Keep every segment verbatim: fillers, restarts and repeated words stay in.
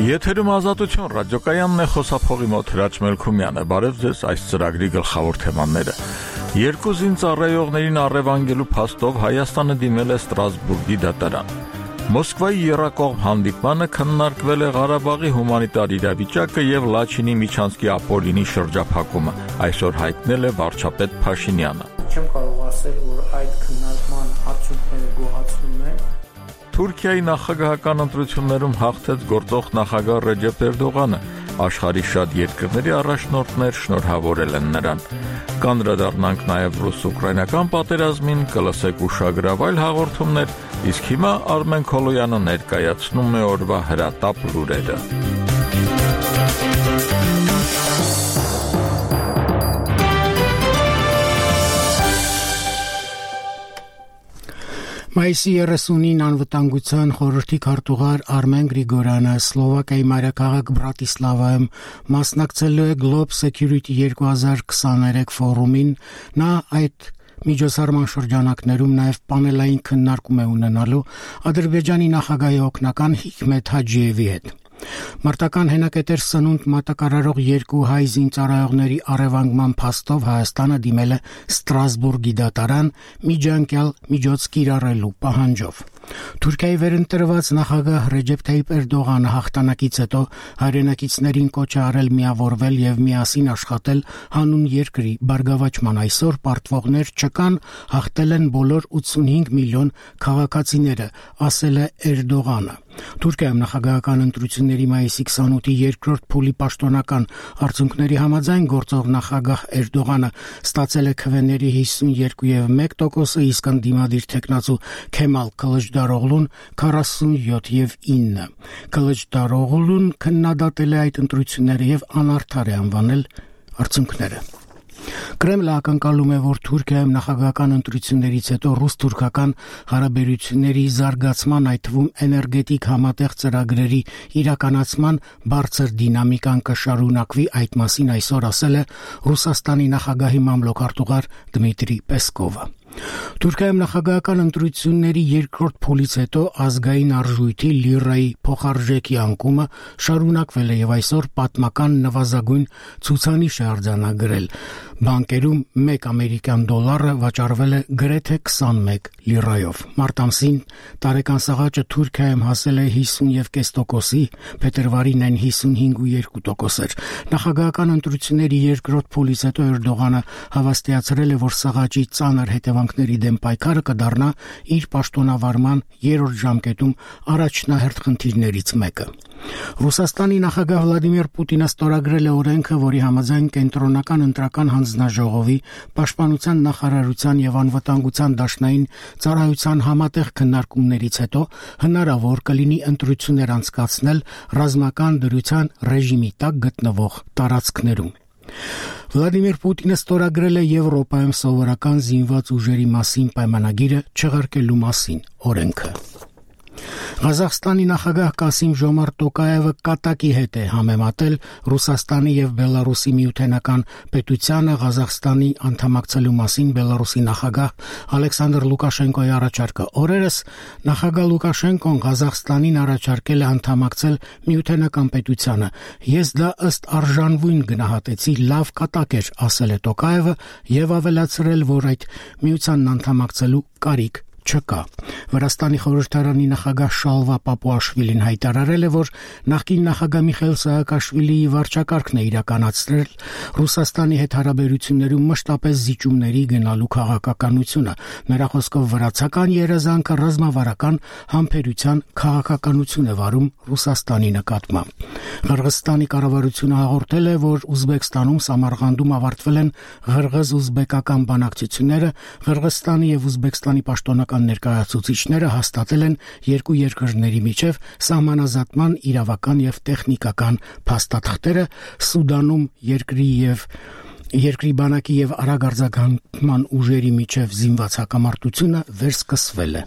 Եթերում ազատություն ռադիոկայանն է, խոսափողի մոտ Հրաչ Մելքումյանը։ Բարև ձեզ, այս ծրագրի գլխավոր թեմաները։ Երկու զինծառայողներին առևանգելու փաստով Հայաստանը դիմել է Ստրասբուրգի դատարան։ Մոսկվայի եռակողմ հանդիպմանը քննարկվել է Ղարաբաղի հումանիտար իրավիճակը եւ Լաչինի Միչանսկի ապօրինի շրջափակումը, այսօր հայտնել է վարչապետ Փաշինյանը։ Չեմ կարող ասել, որ այդ քննարկման արդյունքները գոհացնում են։ Թուրքիայի նախագահական ընտրություններում հաղթեց գործող նախագահ Ռեջեփ Էրդողանը, աշխարհի շատ երկրների առաջնորդներ շնորհավորել են նրան։ Կանդրադառնանք նաև ռուս-ուկրաինական պատերազմին, կլսեք ուշագրավ այլ հաղորդումներ, իսկ հիմա Արմեն Քոլոյանը ներկայացնում է օրվա հրատապ լուրերը։ Մայիսի երեսունին անվտանգության խորհրդի քարտուղար Արմեն Գրիգորյանը Սլովակիայի մայրաքաղաք Բրատիսլավայում մասնակցելու է Globe Security երկու հազար քսաներեք ֆորումին, նա այդ միջոցառման շրջանակներում նաև պանելային քննարկում է ունենալու Ադրբեջանի նախագահի օգնական Հիքմեթ Հաջիևի հետ։ Մարտական հենակետեր սնունդ մատակարարող երկու հայ զինծառայողների առևանգման փաստով Հայաստանը դիմել է Ստրասբուրգի դատարան միջանկյալ միջոց կիրառելու պահանջով։ Թուրքիայի վերընտրված նախագահ Ռեջեփ Թայիփ Էրդողանը հաղթանակից հետո հայրենակիցներին կոչ է արել միավորվել եւ միասին աշխատել հանուն երկրի բարգավաճման։ Այսօր պարտվողներ չկան, հաղթել են բոլոր ութսունհինգ միլիոն քաղաքացիները, ասել է Էրդողանը։ Թուրքիայում նախագահական ընտրությունների մայիսի քսանութի երկրորդ փուլի պաշտոնական արդյունքների համաձայն գործող նախագահ Էրդողանը ստացել է քվեների հիսունյոթ եւ մեկ տոկոսը, իսկ ընդդիմադիր թեկնածու Քեմալ Քլիչդարօղլուն քառասունյոթ եւ ինը։ Քլիչդարօղլուն քննադատել է այդ ընտրությունները եւ անարդար է անվանել արդյունքները։ Կրեմլը ակնկալում է, որ Թուրքիայում նախագահական ընտրություններից հետո ռուս-թուրքական հարաբերությունների զարգացման, այդ թվում էներգետիկ համատեղ ծրագրերի իրականացման բարձր դինամիկան կշարունակվի, այդ մասին այսօր ասել է Ռուսաստանի նախագահի մամլոքարտուղար Դմիտրի Պեսկովը։ Թուրքիայում նախագահական ընտրությունների երկրորդ փուլից հետո ազգային արժույթի լիրայի փոխարժեքի անկումը շարունակվել է եւ այսօր պատմական նվազագույն ցուցանիշ է արձանագրել։ Բանկերում մեկ ամերիկյան դոլարը վաճառվել է գրեթե քսանմեկ լիրայով։ Մարտ ամսին տարեկան սաղաճը Թուրքիայում հասել է հիսուն եւ կես տոկոսի, փետրվարին այն հիսունհինգ ու երկու տոկոս էր։ Նախագահական ընտրությունների երկրորդ փուլից հետո Էրդողանը հավաստիացրել է, որ սաղաճի ծանր հետևանքների դեմ պայքարը կդառնա իր պաշտոնավարման երրորդ ժամկետում առաջնահերթ խնդիրներից մեկը։ Ռուսաստանի նախագահ Վլադիմիր Պուտինը ստորագրել է օրենքը, որի համաձայն կենտրոնական ընտրական հանձնաժողովի, պաշտպանության նախարարության եւ անվտանգության դաշնային ծառայության համատեղ քննարկումներից հետո հնարավոր կլինի ընտրություններ անցկացնել ռազմական դրության ռեժիմի տակ գտնվող տարածքներում։ Վլադիմիր Պուտինը ստորագրել է Եվրոպայում սովորական զինված ուժերի մասին պայմանագիրը չեղարկելու մասին օրենքը։ Ղազախստանի նախագահ Կասիմ Ժոմարտ Տոկաևը կատակի հետ է համեմատել Ռուսաստանի եւ Բելարուսի միութենական պետությանը Ղազախստանի անդամակցելու մասին Բելարուսի նախագահ Ալեքսանդր Լուկաշենկոյի առաջարկը։ Օրերս նախագահ Լուկաշենկոն Ղազախստանին առաջարկել է անդամակցել միութենական պետությանը։ Ես դա ըստ արժանվույն գնահատեցի, լավ կատակ էր, ասել է Տոկաևը եւ ավելացրել, որ այդ միությանն անդամակցելու կարիք չկա։ Վրաստանի խորհրդարանի նախագահ Շալվա Պապուաշվիլին հայտարարել է, որ նախկին նախագահ Միխայիլ Սահակաշվիլիի վարչակարգն է իրականացրել Ռուսաստանի հետ հարաբերություններում մշտապես զիջումների գնալու քաղաքականությունը։ Նրա խոսքով վրացական երազանքը ռազմավարական համբերության քաղաքականություն է վարում Ռուսաստանի նկատմամբ։ Ղրղստանի կառավարությունը հաղորդել է, որ Ուզբեկստանում Սամարղանդում ավարտվել են ղրղըզ-ուզբեկական բանակցությունները, Ղրղստանի եւ Ուզբեկստանի պաշտոնական ներկայացուցիչները հաստատել են երկու երկրների միջև սահմանազատման իրավական եւ տեխնիկական փաստաթղթերը։ Սուդանում երկրի եւ երկրի բանակի եւ արագ արձագանքման ուժերի միջև զինված հակամարտությունը վերսկսվել է։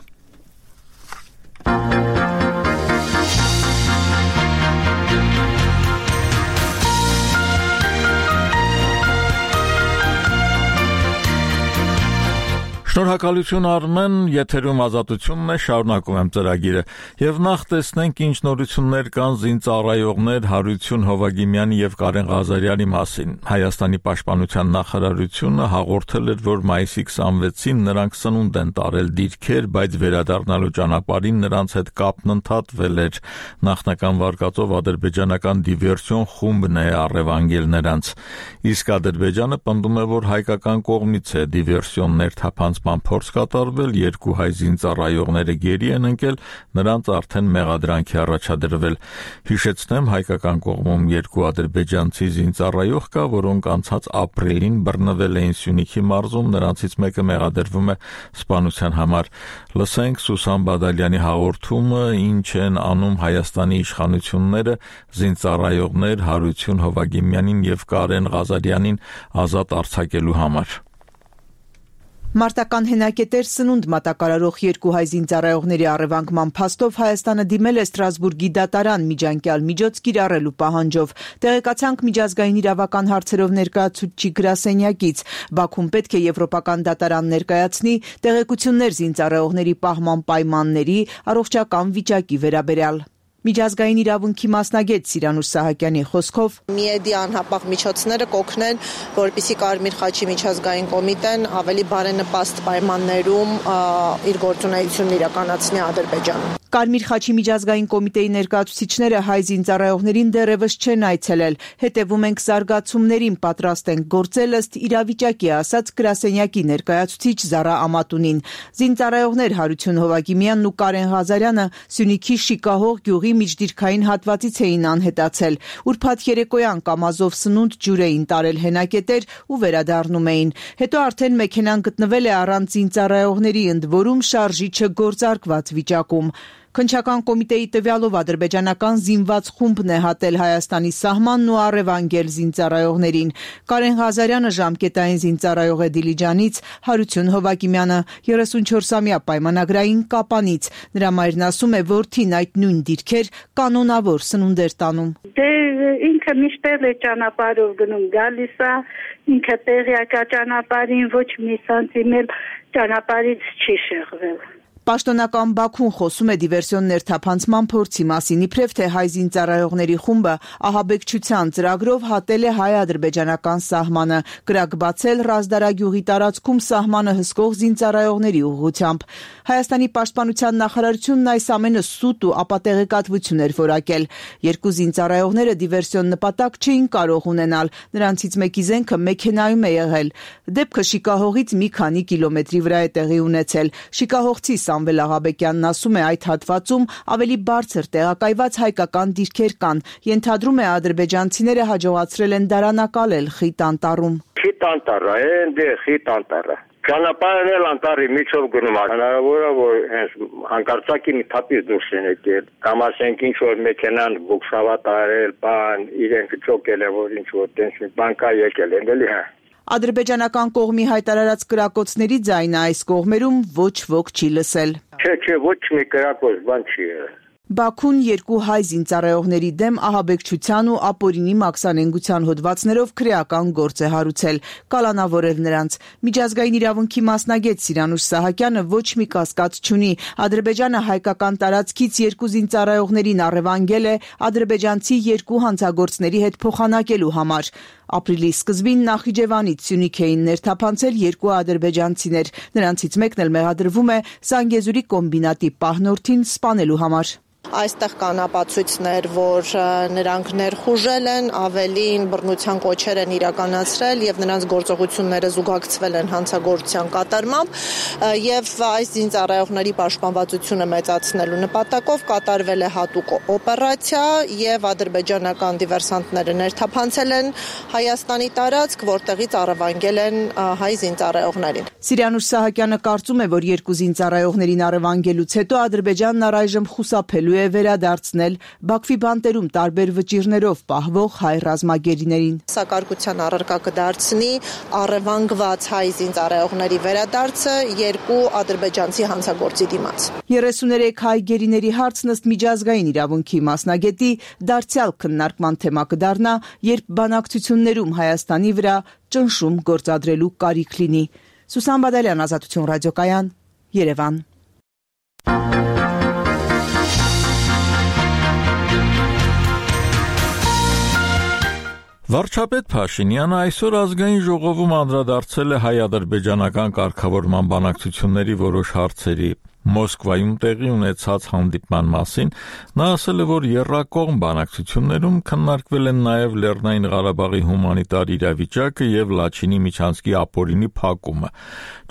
Շնորհակալություն Արմեն, եթերում ազատությունն է, շարունակում եմ ծրագիրը եւ նախ տեսնենք ինչ նորություններ կան զինծառայողներ Հարություն Հովագիմյանի եւ Կարեն Ղազարյանի մասին։ Հայաստանի պաշտպանության նախարարությունը հաղորդել էր, որ մայիսի քսանվեցին նրանք սնունդ են տարել դիրքեր, բայց վերադառնալու ճանապարհին նրանց հետ կապն ընդհատվել էր։ Նախնական վարկածով ադրբեջանական դիվերսիոն խումբն է առևանգել նրանց։ Իսկ Ադրբեջանը պնդում է, որ հայկական կողմից է դիվերսիոններ թափանց փորձ կատարվել, երկու հայ զինծառայողները գերի են ընկել, նրանց արդեն մեղադրանքի առաջադրվել։ Հիշեցնեմ, հայկական կողմում երկու ադրբեջանցի զինծառայող կա, որոնք անցած ապրիլին բռնվել էին Սյունիքի մարզում, նրանցից մեկը մեղադրվում է սպանության համար։ Լսենք Սուսան Բադալյանի հաղորդումը, ինչ են անում Հայաստանի իշխանությունները զինծառայողներ Հարություն Հովագիմյանին եւ Կարեն Ղազարյանին ազատ արձակելու համար։ Մարտական հենակետեր սնունդ մատակարարող երկու հայ զինծառայողների առևանգման փաստով Հայաստանը դիմել է Ստրասբուրգի դատարան միջանկյալ միջոց կիրառելու պահանջով։ Տեղեկացանք միջազգային իրավական հարցերով ներկայացուցիչ գրասենյակից։ Բաքուն պետք է եվրոպական դատարան ներկայացնի տեղեկություններ զինծառայողների պահման պայմանների, առողջական վիճակի վերաբերյալ։ Միջազգային իրավունքի մասնագետ Սիրանուշ Սահակյանի խոսքով միեդի անհապաղ միջոցները կօգնեն, որպեսզի Կարմիր խաչի միջազգային կոմիտեն ավելի բարենպաստ պայմաններում իր գործունեությունն իրականացնի Ադրբեջանում։ Կարմիր խաչի միջազգային կոմիտեի ներկայացուցիչները հայ զինծառայողներին դեռևս չեն այցելել, հետևում ենք զարգացումներին, պատրաստ ենք գործել ըստ իրավիճակի, ասաց գրասենյակի ներկայացուցիչ Զարա Ամատունին։ Զինծառայողներ Հարություն Հովագիմյանն ու Կարեն Ղազարյանը Սյունիքի Շիկահող գյուղի միջդիրքային հատվածից էին անհետացել։ Ուրբաթ երեկոյան կամազով սնունդ ջուր էին տարել հենակետեր ու վերադառնում էին։ Հետո արդեն մեքենան գտնվել է առանց զինծառայողների, ընդ որում շարժիչը գործարկված վիճակում։ Քննչական կոմիտեի տվյալով ադրբեջանական զինված խումբն է հատել Հայաստանի սահմանն ու առևանգել զինծառայողներին։ Կարեն Ղազարյանը ժամկետային զինծառայող է Դիլիջանից, Հարություն Հովագիմյանը երեսունչորսամյա պայմանագրային Կապանից։ Նրա մայրն ասում է, որդին այդ նույն դիրքեր կանոնավոր սնունդ էր տանում։ Դե ինքը միշտ է ճանապարհով գնում գալիս է, ինքը տեղյակա ճանապարհին ոչ մի սանտիմետր ճանապարհից չի շեղվել։ Պաշտոնական Բաքուն խոսում է դիվերսիոն ներթափանցման փորձի մասին, իբրև թե հայ զինծառայողների խումբը ահաբեկչության ծրագրով հատել է հայ-ադրբեջանական սահմանը, կրակ բացել Ռազդարագյուղի տարածքում սահմանը հսկող զինծառայողների ուղղությամբ։ Հայաստանի պաշտպանության նախարարությունն այս ամենը սուտ ու ապատեղեկատվություն էր որակել։ Երկու զինծառայողները դիվերսիոն նպատակ չէին կարող ունենալ, նրանցից մեկի զենքը մեքենայում է եղել։ Դեպքը Շիկահողից մի քանի կիլոմետրի վրա է տեղի ունեցել։ Շիկահողցի Սամվել Աղաբեկյանն ասում է, այդ հատվածում ավելի բարձր տեղակայված հայկական դիրքեր կան։ Ենթադրում է, ադրբեջանցիները հաջողացրել են դարանակալել խիտ անտառում։ Խիտ անտառը, այնտեղ խիտ անտառը։ Ճանապարհն էլ անտառի միջով գնում է։ Հնարավոր է, որ հենց հանկարծակի մի թափից դուրս են եկել։ Կամ ասենք ինչ որ մեքենան բուքսավա տարել, բան, իրենք ճոկել է, որ ինչ որ տենց մի բան կա եկել են, էլի հա։ Ադրբեջանական կողմի հայտարարած կրակոցների ձայնը այս կողմերում ոչ ոք չի լսել։ Չէ, չէ, ոչ մի կրակոց բան չի եղել։ Բաքուն երկու հայ զինծառայողների դեմ ահաբեկչության ու ապօրինի մաքսանենգության հոդվածներով քրեական գործ է հարուցել, կալանավորել նրանց։ Միջազգային իրավունքի մասնագետ Սիրանուշ Սահակյանը ոչ մի կասկած չունի։ Ադրբեջանը հայկական տարածքից երկու զինծառայողներին առևանգել է ադրբեջանցի երկու հանցագործների հետ փոխանակելու համար։ Ապրիլի սկզբին Նախիջևանից Սյունիք էին ներթափանցել երկու ադրբեջանցիներ։ Նրանցից մեկն էլ մեղադրվում է Զանգեզուրի կոմբինատի պահնորդին սպանելու համար։ Այստեղ կան ապացույցներ, որ նրանք ներխուժել են, ավելին բռնության կոչեր են իրականացրել եւ նրանց գործողությունները զուգակցվել են հանցագործության կատարմամբ եւ այս զինծառայողների պաշտպանվածությունը մեծացնելու նպատակով կատարվել է հատուկ օպերացիա եւ ադրբեջանական դիվերսանտները ներթափանցել են Հայաստանի տարածք, որտեղից առևանգել են հայ զինծառայողներին։ Սիրանուշ Սահակյանը կարծում է, որ երկու զինծառայողներին առևանգելուց հետո Ադրբեջանն առայժմ խուսափելու է վերադարձնել Բաքվի բանտերում տարբեր վճիրներով պահվող հայ ռազմագերիներին։ Սակարկության առարկա կդարձնի առևանգված հայ զինծառայողների վերադարձը երկու ադրբեջանցի հանցագործի դիմաց։ երեսուներեք հայ գերիների հարցն ըստ միջազգային իրավունքի մասնագետի դարձյալ քննարկման թեմա կդառնա, երբ բանակցություններում Հայաստանի վրա ճնշում գործադրելու կարիք լինի։ Սուսան Բադալյան, Ազատություն ռադիոկայան, Երևան։ Վարչապետ Փաշինյանը այսօր ազգային ժողովում անդրադարձել է հայ-ադրբեջանական կարգավորման բանակցությունների որոշ հարցերի։ Մոսկվայում տեղի ունեցած հանդիպման մասին նա ասել է, որ եռակողմ բանակցություններում քննարկվել են նաև Լեռնային Ղարաբաղի հումանիտար իրավիճակը եւ Լաչինի միջանցքի ապօրինի փակումը։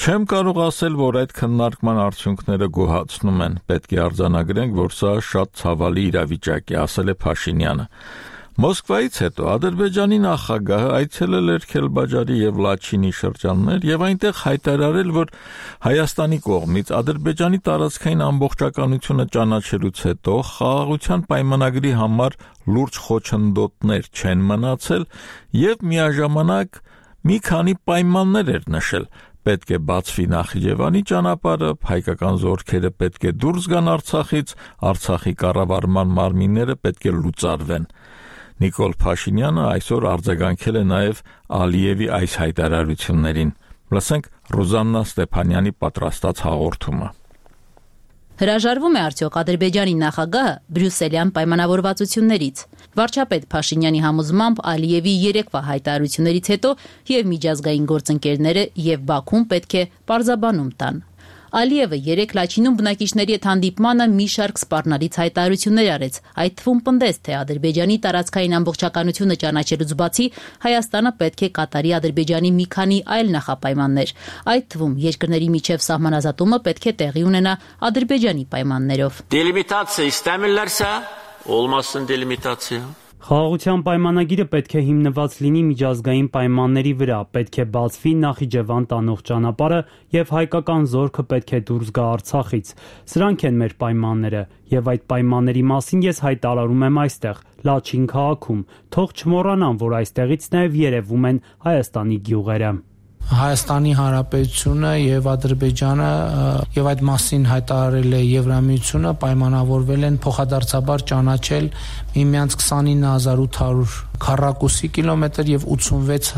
Չեմ կարող ասել, որ այդ քննարկման արդյունքները գոհացնում են։ Պետք է արձանագրենք, որ սա շատ ցավալի իրավիճակ է, ասել է Փաշինյանը։ Մոսկվայից հետո Ադրբեջանի նախագահը այցելել էր Քելբաջարի եւ Լաչինի շրջաններ եւ այնտեղ հայտարարել, որ Հայաստանի կողմից Ադրբեջանի տարածքային ամբողջականությունը ճանաչելուց հետո խաղաղության պայմանագրի համար լուրջ խոչընդոտներ չեն մնացել եւ միաժամանակ մի քանի պայմաններ էր նշել։ Պետք է բացվի Նախիջևանի ճանապարհը, հայկական զորքերը պետք է դուրս գան Արցախից, Արցախի կառավարման մարմինները պետք է լուծարվեն։ Նիկոլ Փաշինյանը այսօր արձագանքել է նաև Ալիևի այս հայտարարություններին։ Լսենք Ռոզաննա Ստեփանյանի պատրաստած հաղորդումը։ Հրաժարվում է արդյոք Ադրբեջանի նախագահը բրյուսելյան պայմանավորվածություններից։ Վարչապետ Փաշինյանի համոզմամբ Ալիևի երեկվա հայտարարություններից հետո եւ միջազգային գործընկերները եւ Բաքուն պետք է պարզաբանում տան։ Ալիևը երեք Լաչինում բնակիչների հետ հանդիպմանը մի շարք սպառնալից հայտարարություններ արեց, այդ թվում պնդեց, թե Ադրբեջանի տարածքային ամբողջականությունը ճանաչելուց բացի Հայաստանը պետք է կատարի Ադրբեջանի մի քանի այլ նախապայմաններ, այդ թվում երկրների միջև սահմանազատումը պետք է տեղի ունենա Ադրբեջանի պայմաններով։ Դելիմիտացիա ստամելլարսա, olmasın delimitatsiya։ Խաղաղության պայմանագիրը պետք է հիմնված լինի միջազգային պայմանների վրա, պետք է բացվի Նախիջևան տանող ճանապարհը եւ հայկական զորքը պետք է դուրս գա Արցախից։ Սրանք են մեր պայմանները եւ այդ պայմանների մասին ես հայտարարում եմ այստեղ, Լաչին քաղաքում։ Թող չմոռանան, որ այստեղից նաեւ երևում են Հայաստանի գյուղերը։ Հայաստանի Հանրապետությունը եւ Ադրբեջանը եւ այդ մասին հայտարարել է Եվրամիությունը պայմանավորվել են փոխադարձաբար ճանաչել միմյանց քսանինը հազար ութ հարյուր քառակուսի կիլոմետր եւ ութսունվեց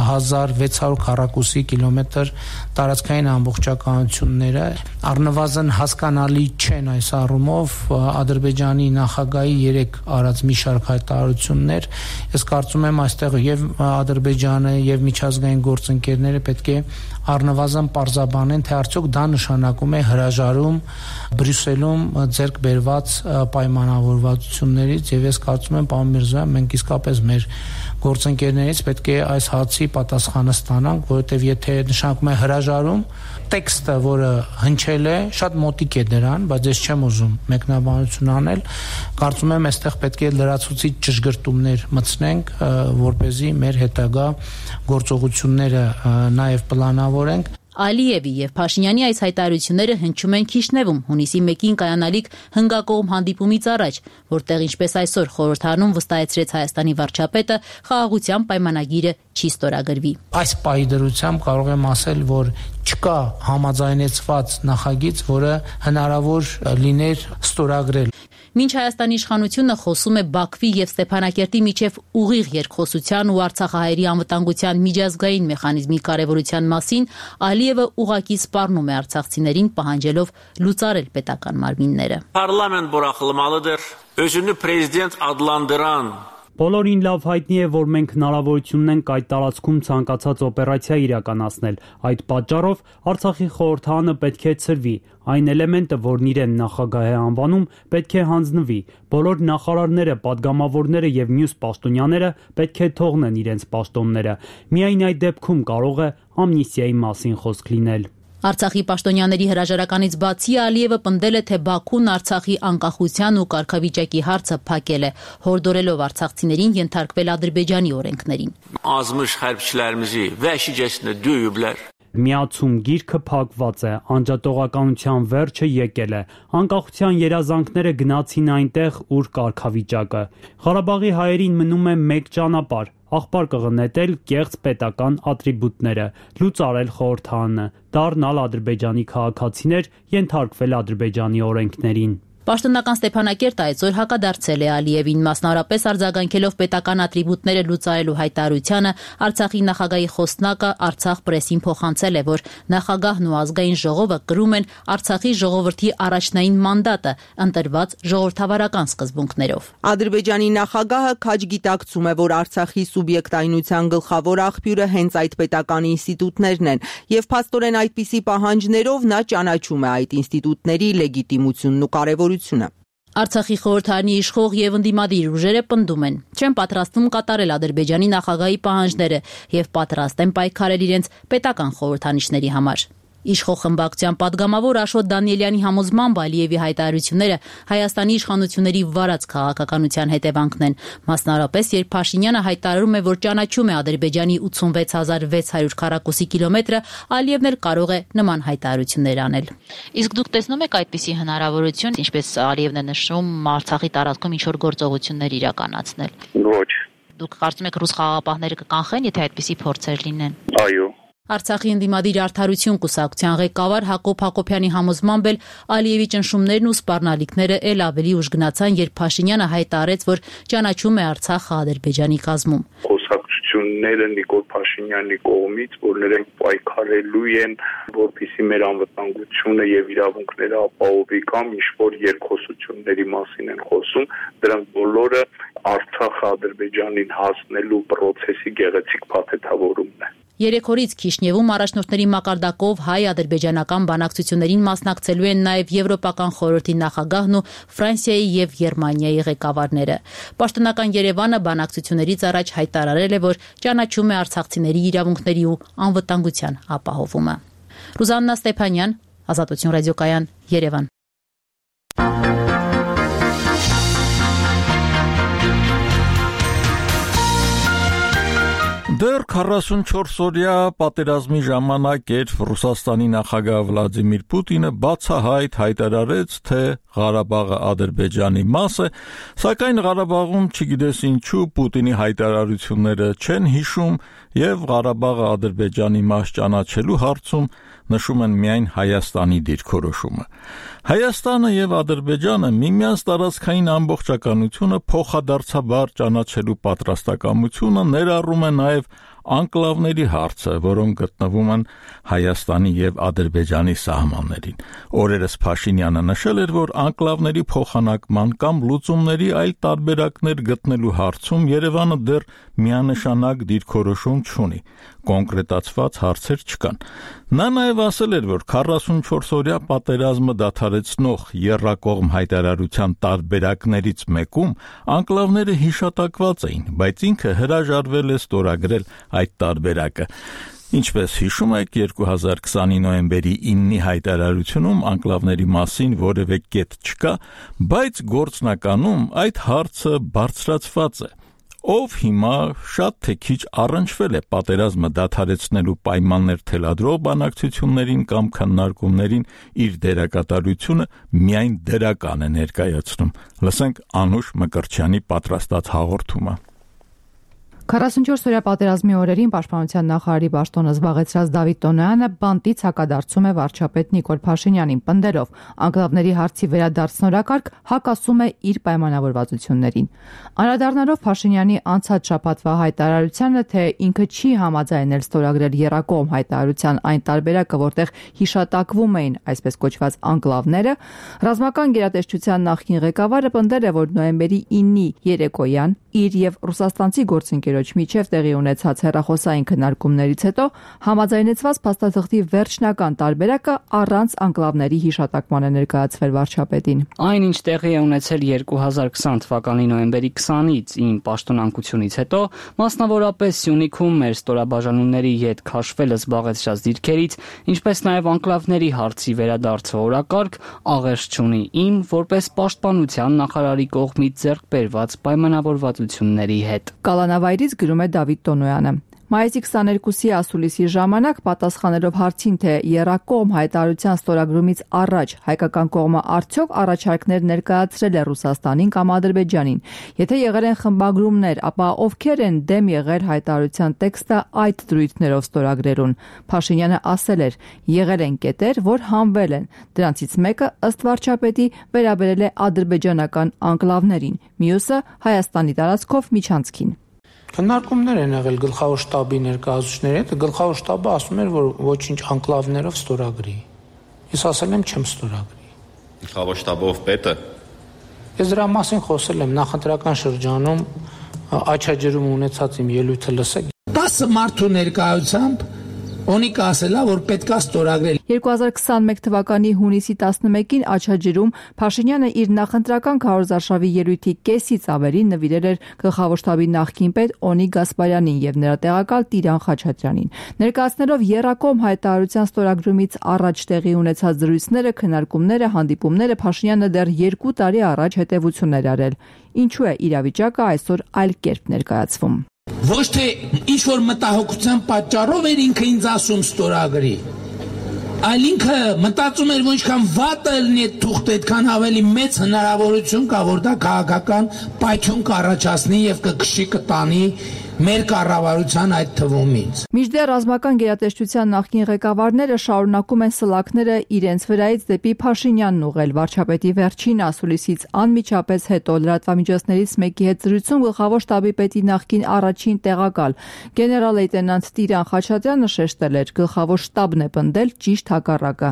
հազար վեց հարյուր քառակուսի կիլոմետր տարածքային ամբողջականությունները առնվազն հասկանալի չեն այս առումով Ադրբեջանի նախագահի երեք արած մի շարք հայտարարություններ ես կարծում եմ այստեղ եւ Ադրբեջանը եւ միջազգային գործընկերները պետք է առնվազն պարզաբանեն, թե արդյոք դա նշանակում է հրաժարում Բրյուսելում ձեռք բերված պայմանավորվածություններից եւ ես կարծում եմ, պարոն Միրզոյան, մենք իսկապես մեր գործընկերներից պետք է այս հարցի պատասխանը ստանանք, որովհետեւ եթե նշանակում է հրաժարում, տեքստը, որը հնչել է, շատ մոտիկ է դրան, բայց ես չեմ ուզում մեկնաբանություն անել, կարծում եմ, այստեղ պետք է լրացուցիչ ճշգրտումներ մտցնենք, որպեսզի մեր հետագա գործողությունները նաև պլանավորենք։ Ալիևի եւ Փաշինյանի այս հայտարարությունները հնչում են Քիշնևում հունիսի մեկին կայանալիք հնգակողմ հանդիպումից առաջ, որտեղ ինչպես այսօր խորհրդարանում վստահեցրեց Հայաստանի վարչապետը, խաղաղության պայմանագիրը չի ստորագրվի։ Այս պահի դրությամբ կարող եմ ասել, որ չկա համաձայնեցված նախագիծ, որը հնարավոր լիներ ստորագրել։ Մինչ Հայաստանի իշխանությունը խոսում է Բաքվի եւ Ստեփանակերտի միջև ուղիղ երկխոսության ու Արցախահայերի անվտանգության միջազգային մեխանիզմի կարեւորության մասին, Ալիևը ուղղակի սպառնում է արցախցիներին, պահանջելով լուծարել պետական մարմինները։ Parlament բորախլմալıdır. Özünü prezident adlandıran Բոլորին լավ հայտնի է, որ մենք հնարավորություն ունենք այդ տարածքում ցանկացած օպերացիա իրականացնել։ Այդ պատճառով Արցախի խորհրդարանը պետք է ցրվի։ Այն էլեմենտը, որն իրեն նախագահ է անվանում, պետք է հանձնվի։ Բոլոր նախարարները, падգամավորները եւ մյուս պաշտոնյաները պետք է թողնեն իրենց պաշտոնները։ Միայն այդ դեպքում կարող է ամնիստիայի մասին խոսք լինել։ Արցախի պաշտոնյաների հրաժարականից բացի Ալիևը պնդել է, թե Բաքուն Արցախի անկախության ու կարգավիճակի հարցը փակել է, հորդորելով արցախցիներին ենթարկվել Ադրբեջանի օրենքներին։ Azmış hərbçilərimizi vəhşicəsinə döyüblər. Միացում գիրքը փակված է, անջատողականության վերջը եկել է, անկախության երազանքները գնացին այնտեղ, ուր կարգավիճակը։ Ղարաբաղի հայերին մնում է մեկ ճանապարհ, աղբար կղնետել կեղծ պետական ատրիբուտները, լուծարել խորհրդարանը, դառնալ Ադրբեջանի քաղաքացիներ, ենթարկվել Ադրբեջանի օրենքներին։ Պաշտոնական Ստեփանակերտը այսօր հակադարձել է Ալիևին, մասնավորապես արձագանքելով պետական ատրիբուտները լուծարելու հայտարարությանը. Արցախի նախագահի խոսնակը Արցախ պրեսին փոխանցել է, որ նախագահն ու ազգային ժողովը կրում են Արցախի ժողովրդի առաջնային մանդատը, ընտրված ժողովրդավարական սկզբունքներով։ Ադրբեջանի նախագահը քաջ գիտակցում է, որ Արցախի սուբյեկտայնության գլխավոր աղբյուրը հենց այդ պետական ինստիտուտներն են, եւ փաստորեն այդպիսի պահանջներով նա ճանաչում է այդ ինստիտուտների լեգիտիմությունն ու կարևորությունը։ Արցախի խորհրդարանի իշխող եւ ընդդիմադիր ուժերը պնդում են, չեն պատրաստվում կատարել Ադրբեջանի նախագահի պահանջները եւ պատրաստ են պայքարել իրենց պետական խորհրդանիշների համար։ Իշխող խմբակցության падգամավոր Աշոտ Դանիելյանի համոզմամբ Ալիևի հայտարարությունները Հայաստանի իշխանությունների վարած քաղաքականության հետևանքն են, մասնավորապես երբ Փաշինյանը հայտարարում է, որ ճանաչում է Ադրբեջանի ութսունվեց հազար վեց հարյուր քառակուսի կիլոմետրը, Ալիևն էլ կարող է նման հայտարարություններ անել։ Իսկ դուք տեսնում եք այդպիսի հնարավորություն, ինչպես Ալիևն է նշում, Արցախի տարածքում ինչ-որ գործողություններ իրականացնել։ Ոչ։ Դուք կարծում եք ռուս խաղաղապահները կկանխեն, եթե այդպիսի փորձեր լինեն։ Այո։ Արցախի ընդդիմադիր արդարություն կուսակցության ղեկավար Հակոբ Հակոբյանի համոզմամբ էլ Ալիևի ճնշումներն ու սպառնալիքները էլ ավելի ուժ գնացան, երբ Փաշինյանը հայտարարեց, որ ճանաչում է Արցախը Ադրբեջանի կազմում։ Խոսակցությունները Նիկոլ Փաշինյանի կողմից, որ նրանք պայքարելու են, որպեսզի մեր անվտանգությունը եւ իրավունքները ապահովի կամ ինչ-որ երկխոսությունների մասին են խոսում, դրանք բոլորը Արցախը Ադրբեջանին հասնելու process-ի գեղեցիկ փաթեթավորումն է։ Երեք օրից Քիշնևում առաջնորդների մակարդակով հայ-ադրբեջանական բանակցություններին մասնակցելու են նաև Եվրոպական խորհրդի նախագահն ու Ֆրանսիայի եւ Գերմանիայի ղեկավարները։ Պաշտոնական Երևանը բանակցություններից առաջ հայտարարել է, որ ճանաչում է արցախցիների իրավունքների ու անվտանգության ապահովումը։ Ռուզաննա Ստեփանյան, Ազատություն ռադիոկայան, Երևան։ Դեռ քառասունչորս օրյա պատերազմի ժամանակ երբ Ռուսաստանի նախագահ Վլադիմիր Պուտինը բացահայտ հայտարարեց, թե Ղարաբաղը Ադրբեջանի մաս է, սակայն Ղարաբաղում չգիտես ինչու Պուտինի հայտարարությունները չեն հիշում եւ Ղարաբաղը Ադրբեջանի մաս ճանաչելու հարցում նշում են միայն Հայաստանի դիրքորոշումը։ Հայաստանը եւ Ադրբեջանը միմյանց տարածքային ամբողջականությունը փոխադարձաբար ճանաչելու պատրաստակամությունը ներառում է նաեւ անկլավների հարցը, որոնք գտնվում են Հայաստանի եւ Ադրբեջանի սահմաններին։ Օրերս Փաշինյանը նշել էր, որ անկլավների փոխանակման կամ լուծումների այլ տարբերակներ գտնելու հարցում Երևանը դեռ միանշանակ դիրքորոշում չունի, կոնկրետացված հարցեր չկան։ Նա նաեւ ասել էր, որ քառասունչորս օրյա պատերազմը դադարեցնող եռակողմ հայտարարության տարբերակներից մեկում անկլավները հիշատակված էին, բայց ինքը հրաժարվել է ստորագրել այդ տարբերակը։ Ինչպես հիշում եք, երկու հազար քսանի նոյեմբերի իննի հայտարարությունում անկլավների մասին որևէ կետ չկա, բայց գործնականում այդ հարցը բարձրացված է։ Ով հիմա շատ թե քիչ առնչվել է պատերազմը դադարեցնելու պայմաններ թելադրող բանակցություններին կամ քննարկումներին, իր դերակատարությունը միայն դրական է ներկայացնում։ Լսենք Անուշ Մկրտչյանի պատրաստած հաղորդումը։ քառասունչորս օրյա պատերազմի օրերին Պաշտպանության նախարարի պաշտոնը զբաղեցրած Դավիթ Տոնոյանը բանտից հակադարձում է վարչապետ Նիկոլ Փաշինյանին, պնդելով անկլավների հարցի վերադարձնորակարգ հակասում է իր պայմանավորվածություններին։ Անդրադառնալով Փաշինյանի անցած շաբաթվա հայտարարությանը, թե ինքը չի համաձայնել ստորագրել եռակողմ հայտարարության այն տարբերակը, որտեղ հիշատակվում էին այսպես կոչված անկլավները, ռազմական գերատեսչության նախկին ղեկավարը պնդել է, որ նոյեմբերի իննի երեկոյան իր եւ ռուսաստանցի գործընկերոջ միջև տեղի ունեցած հեռախոսային քննարկումներից հետո համաձայնեցված փաստաթղթի վերջնական տարբերակը առանց անկլավների հիշատակման է ներկայացվել վարչապետին։ Այն, ինչ տեղի է ունեցել երկու հազար քսան թվականի նոյեմբերի քսանից իմ պաշտոնանկությունից հետո, մասնավորապես Սյունիքում մեր ստորաբաժանումների հետ քաշվելը զբաղեցրած դիրքերից, ինչպես նաև անկլավների հարցի վերադարձը օրակարգ, աղերս չունի իմ որպես պաշտպանության նախարարի կողմից ձեռք բերված պայմանավորվածությունների հետ։ Կալանավայրից գրում է Դավիթ Տոնոյանը։ Մայիսի քսաներկուսի ասուլիսի ժամանակ պատասխանելով հարցին, թե եռակողմ հայտարարության ստորագրումից առաջ հայկական կողմը արդյոք առաջարկներ ներկայացրել է Ռուսաստանին կամ Ադրբեջանին, եթե եղել են խմբագրումներ, ապա ովքեր են դեմ եղել հայտարարության տեքստը այդ դրույթներով ստորագրելուն։ Փաշինյանը ասել էր, եղել են կետեր, որ հանվել են։ Դրանցից մեկը ըստ վարչապետի վերաբերել է ադրբեջանական անկլավներին, մյուսը Հայաստանի տարածքով միջանցքին։ Քննարկումներ են եղել գլխավոր շտաբի ներկայացուցիչների հետ, գլխավոր շտաբը ասում էր, որ ոչինչ անկլավներով ստորագրի։ Ես ասել եմ չեմ ստորագրի։ Գլխավոր շտաբով պետը։ Ես դրա մասին խոսել եմ նախընտրական շրջանում, աչաջրում ունեցած իմ ելույթը լսեք։ տասը մարդու ներկայությամբ Օնիկը ասելա, որ պետքա ստորագրել։ երկու հազար քսաներկու թվականի հունիսի տասնմեկին Աչաջրում Փաշինյանը իր նախընտրական քարոզարշավի ելույթի կեսից ավելի նվիրել էր գլխավոր շտաբի նախկին պետ Օնիկ Գասպարյանին եւ նրա տեղակալ Տիրան Խաչատրյանին։ Ներկայացնելով եռակողմ հայտարարության ստորագրումից առաջ տեղի ունեցած զրույցները, քննարկումները, հանդիպումները Փաշինյանը դեռ երկու տարի առաջ հետևություններ արել։ Ինչու է իրավիճակը այսօր այլ կերպ ներկայացվում։ Ոչ թե ինչ որ մտահոգության պատճառով էր ինքը ինձ ասում ստորագրի, այլ ինքը մտածում էր, որ ինչքան վատը լինի այդ թուղթը, այդքան ավելի մեծ հնարավորություն կա, որ դա քաղաքական պայթյուն կառաջացնի եւ կքշի կտանի մեր կառավարության այդ թվում ինձ։ Մինչդեռ ռազմական գերատեսչության նախկին ղեկավարները շարունակում են սլաքները իրենց վրայից դեպի Փաշինյանն ուղղել։ Վարչապետի վերջին ասուլիսից անմիջապես հետո լրատվամիջոցներից մեկի հետ զրույցում գլխավոր շտաբի պետի նախկին առաջին տեղակալ գեներալ լեյտենանտ Տիրան Խաչատրյանը շեշտել էր, գլխավոր շտաբն է պնդել ճիշտ հակառակը։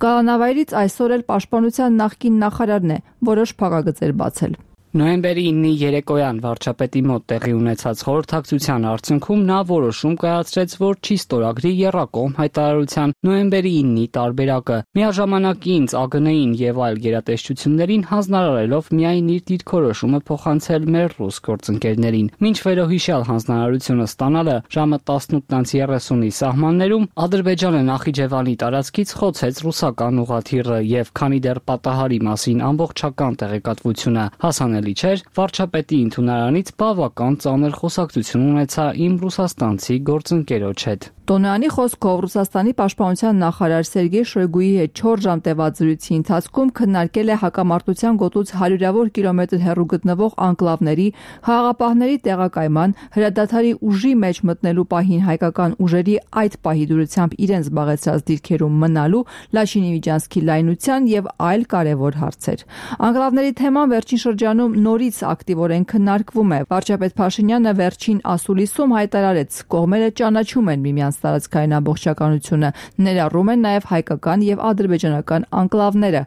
Կանավայրից այսօր էլ պաշտպանության նախկին նախարարն է որոշ փակագծեր բացել։ Նոյեմբերի ինը երեկոյան վարչապետի մոտ տեղի ունեցած խորհրդակցության արդյունքում նա որոշում կայացրեց, որ չի ստորագրի եռակողմ հայտարարության նոյեմբերի ինի տարբերակը, միաժամանակ ինձ ԱԳՆ-ին եւ այլ գերատեսչություններին հանձնարարելով միայն իր դիրքորոշումը փոխանցել մեր ռուս գործընկերներին։ Մինչ վերոհիշյալ հանձնարարությունը ստանալը ժամը տասնութ երեսունի սահմաններում Ադրբեջանը Նախիջևանի տարածքից խոցեց ռուսական ուղղաթիռը եւ քանի դեռ պատահարի մասին ամբողջական տեղեկատվությունը հասանելի չէր, վարչապետի ընդունարանից բավական ծանր խոսակցություն ունեցա իմ ռուսաստանցի գործընկերոջ հետ։ Տոնյանի խոսքով Ռուսաստանի պաշտպանության նախարար Սերգեյ Շոյգուի հետ չորս ժամ տևած զրույցի ընթացքում քննարկել է հակամարտության գոտուց հարյուրավոր կիլոմետր հեռու գտնվող անկլավների, խաղաղապահների տեղակայման, հրադադարի ուժի մեջ մտնելու պահին հայկական ուժերի այդ պահի դուրությամբ իրենց զբաղեցրած դիրքերում մնալու, Լաչինի միջանցքի լայնության եւ այլ կարեւոր հարցեր։ Անկլավների թեման վերջին շրջանում նորից ակտիվորեն քննարկվում է։ Վարչապետ Փաշինյանը վերջին ասուլիսում հայտարարեց, կողմերը ճանաչում են միմյանց տարածքային ամբողջականությունը, ներառում են նաև հայկական եւ ադրբեջանական անկլավները,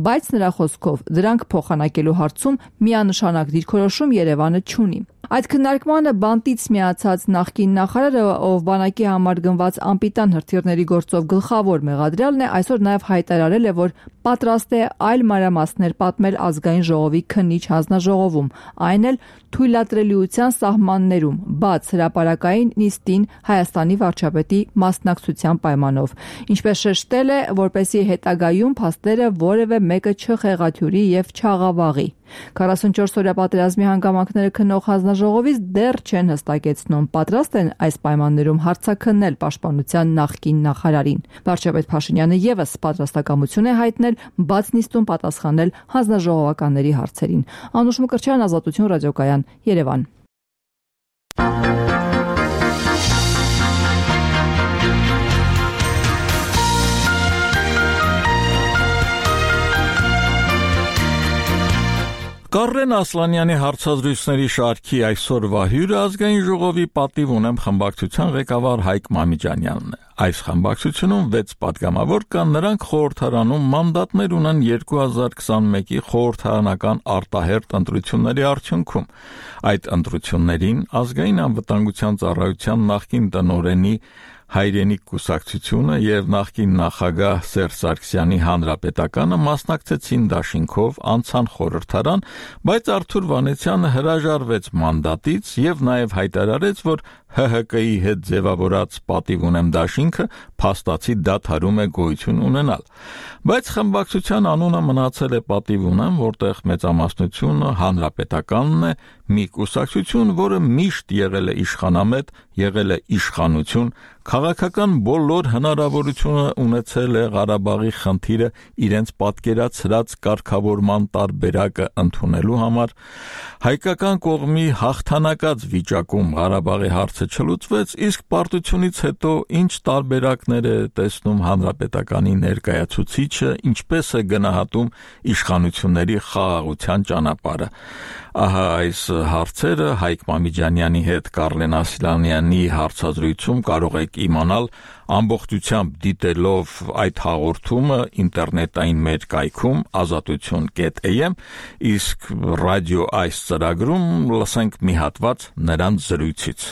բայց նրա խոսքով դրանք փոխանակելու հարցում միանշանակ դիրքորոշում Երևանը չունի։ Այդ քննարկմանը բանտից միացած նախկին նախարարը, ով բանակի համար գնված անպիտան հրթիռների գործով գլխավոր մեղադրյալն է, այսօր նաև հայտարարել է, որ պատրաստ է այլ մանրամասներ պատմել ազգային ժողովի քննիչ հանձնաժողովում, այն էլ թույլատրելիության սահմաններում, բաց հրապարակային նիստին Հայաստանի վարչապետի մասնակցության պայմանով։ Ինչպես շեշտել է, որպեսզի հետագայում փաստերը որևէ մեկը չխեղաթյուրի եւ չաղավաղի։ քառասունչորս օրյա պատերազմի հանգամանքները քննող հանձնաժողովից դեռ չեն հստակեցնում, պատրաստ են այս պայմաններում հարցաքննել պաշտպանության նախկին նախարարին։ Վարչապետ Փաշինյանը եւս պատրաստակամություն է հայտնել բաց նիստում պատասխանել հանձնաժողովականների հարցերին։ Անուշ Մկրտչյան, Ազատություն ռադիոկայան, Երևան։ Կարեն Ասլանյանի հարցազրույցների շարքի այսօրվա հյուրը ազգային ժողովի պատիվ ունեմ խմբակցության ղեկավար Հայկ Մամիջանյանն է։ Այս խմբակցությունում վեց պատգամավոր կան, նրանք խորհրդարանում մանդատներ ունեն երկու հազար քսաներկու խորհրդարանական արտահերթ ընտրությունների արդյունքում։ Այդ ընտրություններին ազգային անվտանգության ծառայության նախկին տնօրենի հայրենիք կուսակցությունը եւ նախկին նախագահ Սերժ Սարգսյանի հանրապետականը մասնակցեցին դաշինքով, անցան խորհրդարան, բայց Արթուր Վանեցյանը հրաժարվեց մանդատից եւ նաեւ հայտարարեց, որ Հ Հ Կի հետ ձևավորած պատիվ ունեմ դաշինքը փաստացի դադարում է գոյություն ունենալ։ Բայց խմբակցության անունը մնացել է պատիվ ունեմ, որտեղ մեծամասնությունը հանրապետականն է, մի կուսակցություն, որը միշտ եղել է իշխանամետ, եղել է իշխանություն, քաղաքական բոլոր հնարավորությունը ունեցել է Ղարաբաղի խնդիրը իրենց պատկերացրած կարգավորման տարբերակը ընդունելու համար, հայկական կողմի հաղթանակած վիճակում Ղարաբաղի հարցը չլուծվեց, իսկ պարտությունից հետո ինչ տարբերակներ է տեսնում հանրապետականի ներկայացուցիչը, ինչպես է գնահատում իշխանությունների խաղաղության ճանապարհը։ Ահա այս հարցերը Հայկ Մամիջանյանի հետ Կարլեն Ասլանյանի հարցազրույցում կարող եք իմանալ ամբողջությամբ դիտելով այդ հաղորդումը ինտերնետային մեր կայքում ազատություն կետ էյ էմ, իսկ ռադիո այս ծրագրում լսենք մի հատված նրանց զրույցից։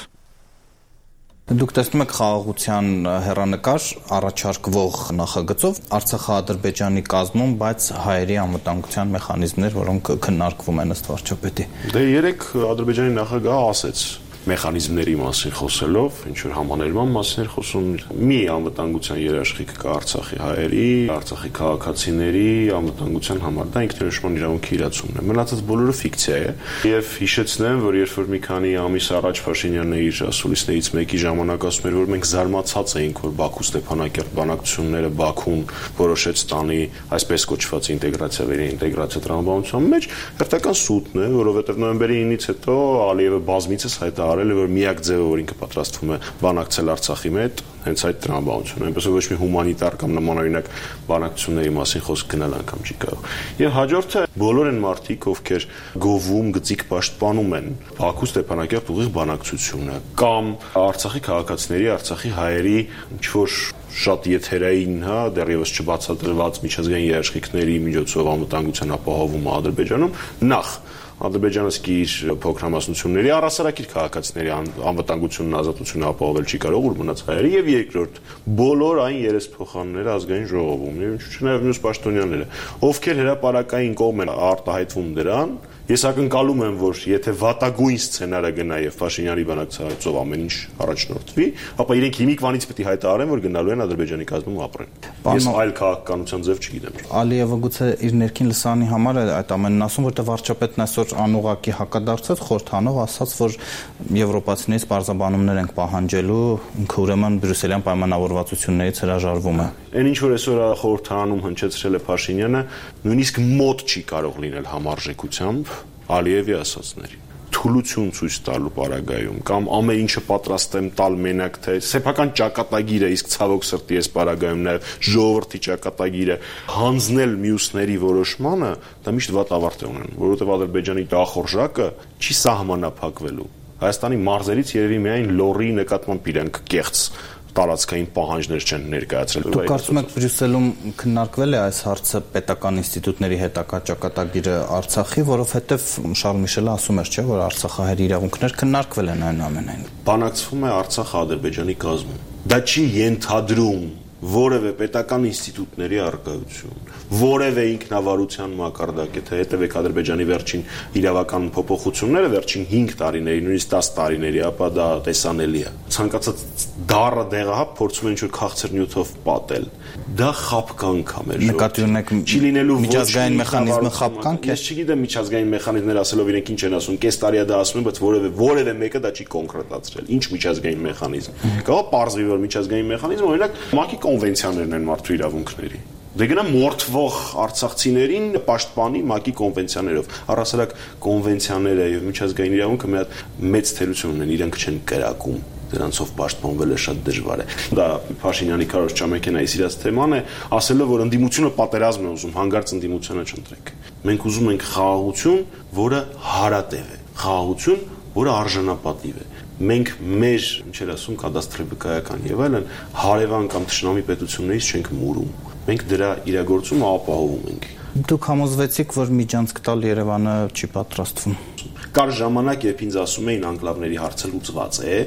Դուք տեսնում եք խաղաղության հեռանկար առաջարկվող նախագծով Արցախա-Ադրբեջանի կազմում, բայց հայերի անվտանգության մեխանիզմներ, որոնք քննարկվում են ըստ վարչապետի։ Դե երեք Ադրբեջանի նախագահը ասեց մեխանիզմների մասին խոսելով, ինչ որ համաներման մասին էր խոսում, մի անվտանգության երաշխիք կա Արցախի հայերի, Արցախի քաղաքացիների անվտանգության համար, դա ինքնորոշման իրավունքի իրացումն է։ Մնացած բոլորը ֆիկցիա է, եւ հիշեցնեմ, որ երբ որ մի քանի ամիս առաջ Փաշինյանն իր ասուլիսներից մեկի ժամանակ ասում էր, որ մենք զարմացած էինք, որ Բաքու-Ստեփանակերտ բանակցությունները Բաքուն որոշեց տանի այսպես կոչված ինտեգրացիա վերաինտեգրացիա տրամաբանության մեջ, հերթական սուտն է, որովհետեւ նոյեմբերի ինից հետո Ալիևը բազմիցս հայտարարել է, որ միակ ձևը, որ ինքը պատրաստվում է բանակցել Արցախի հետ, հենց այդ տրամաբանությունն է, այնպես որ ոչ մի հումանիտար կամ նմանօրինակ բանակցությունների մասին խոսք գնալ անգամ չի կարող։ Եվ հաջորդը բոլոր են մարդիկ, ովքեր գովում, գծիկ պաշտպանում են Բաքու-Ստեփանակերտ ուղիղ բանակցությունը կամ Արցախի քաղաքացիների, Արցախի հայերի ինչ-որ շատ եթերային, հա, դեռևս չբացատրված միջազգային երաշխիքների միջոցով անվտանգության ապահովումը Ադրբեջանում, նախ Ադրբեջանը սկի իր փոքրամասնությունների առասարակ իր քաղաքացիների անվտանգությունն ազատությունը ապահովել չի կարող, որ մնաց հայերի, եւ երկրորդ բոլոր այն երեսփոխանները ազգային ժողովում, եւ ինչու՞ չնայած մյուս պաշտոնյաները, ովքեր հրապարակային կողմ են արտահայտվում դրան, ես ակնկալում եմ, որ եթե վատագույն սցենարը գնա եւ Փաշինյանի բանակցայցով ամեն ինչ առաջնորդվի, ապա իրենք հիմիկվանից պետք է հայտարարեն, որ գնալու են Ադրբեջանի կազմում ապրեն։ Ես այլ քաղաքականության ձև չգիտեմ։ Ալիևը գուցե իր ներքին լսանի համար է այդ ամենն ասում, որտեղ վարչապետն այսօր անուղակի հակադարձած խորհրդանով ասաց, որ եվրոպացիներից բարձաբանումներ ենք պահանջելու, ինքը ուրեմն բրյուսելյան պայմանավորվածություններից հրաժարվում է։ Այն ինչ որ այսօր խորհրդանում հնչեցրել է Փաշինյանը, նույնիսկ մոտ չի կարող լինել համարժեքությամբ Ալիևի ասածներին։ Թուլություն ցույց տալու պարագայում կամ ամեն ինչը պատրաստ եմ տալ մենակ թե սեփական ճակատագիրը, իսկ ցավոք սրտի այս պարագայում նաև ժողովրդի ճակատագիրը հանձնել մյուսների որոշմանը, դա միշտ վատ ավարտ է ունենում, որովհետև Ադրբեջանի դախորժակը չի սահմանափակվելու։ Հայաստանի մարզերից երևի միայն լոռի նկատմամբ իրենք կեղծ տարածքային պահանջներ չեն ներկայացրել։ Դուք կարծում եք Բրյուսելում քննարկվել է այս հարցը պետական ինստիտուտների հետակա ճակատագիրը Արցախի, որովհետև Շարլ Միշելը ասում էր, չէ, որ արցախահայերի իրավունքներ քննարկվել են այնուամենայն։ Բանակցվում է Արցախ-Ադրբեջանի կազմում։ Դա չի ենթադրում որևէ պետական ինստիտուտների առկայություն, որևէ ինքնավարության մակարդակ, եթե հետևեք Ադրբեջանի վերջին իրավական փոփոխությունները, վերջին հինգ տարիների, նույնիսկ տասը տարիների, ապա դա տեսանելի է։ Ցանկացած դառը դեղահապ փորձում են ինչ-որ քաղցր նյութով պատել։ Դա խապկանք է մեր ժողովրդի։ Նկատի ունեք չի լինելու միջազգային մեխանիզմը խապկանք է։ Ես չգիտեմ միջազգային մեխանիզմներ ասելով իրենք ինչ են ասում, կես տարի է դա ասում են, բայց որևէ որևէ մեկը դա չի կոնկրետացրել։ Ինչ միջազգային մեխանիզմ։ Կարող է պարզվի, որ միջազգային մեխանիզմը օրինակ ՄԱԿ-ի կոնվենցիաներն են մարդու իրավունքների։ Դե գնա մորթվող արցախցիներին պաշտպանի ՄԱԿ-ի կոնվենցիաներով։ Առասարակ կոնվենցիաները եւ միջազգային իրավունքը մի հատ մեծ թերություն ունեն, իրենք չեն կրակում։ Դրանցով պաշտպանվելը շատ դժվար է։ Դա Փաշինյանի Քարոզ Չամեկենայի սիրած թեման է, ասելով, որ ընդդիմությունը պատերազմ է ուզում, հանգարց ընդդիմությունը չընտրեք։ Մենք ուզում ենք խաղաղություն, որը հարատև է, խաղաղություն, որը արժանապատիվ է։ Մենք մեր, ինչեր ասում, կադաստրոֆիկայական եւ այլն հարևան կամ թշնամի պետություններից չենք մուրում։ Մենք դրա իրագործումը ապահովում ենք։ Դուք համոզվեցիք, որ միջանցք տալ Երևանը չի պատրաստվում։ Կար ժամանակ, երբ ինձ ասում էին անկլավների հարցը լուծված է,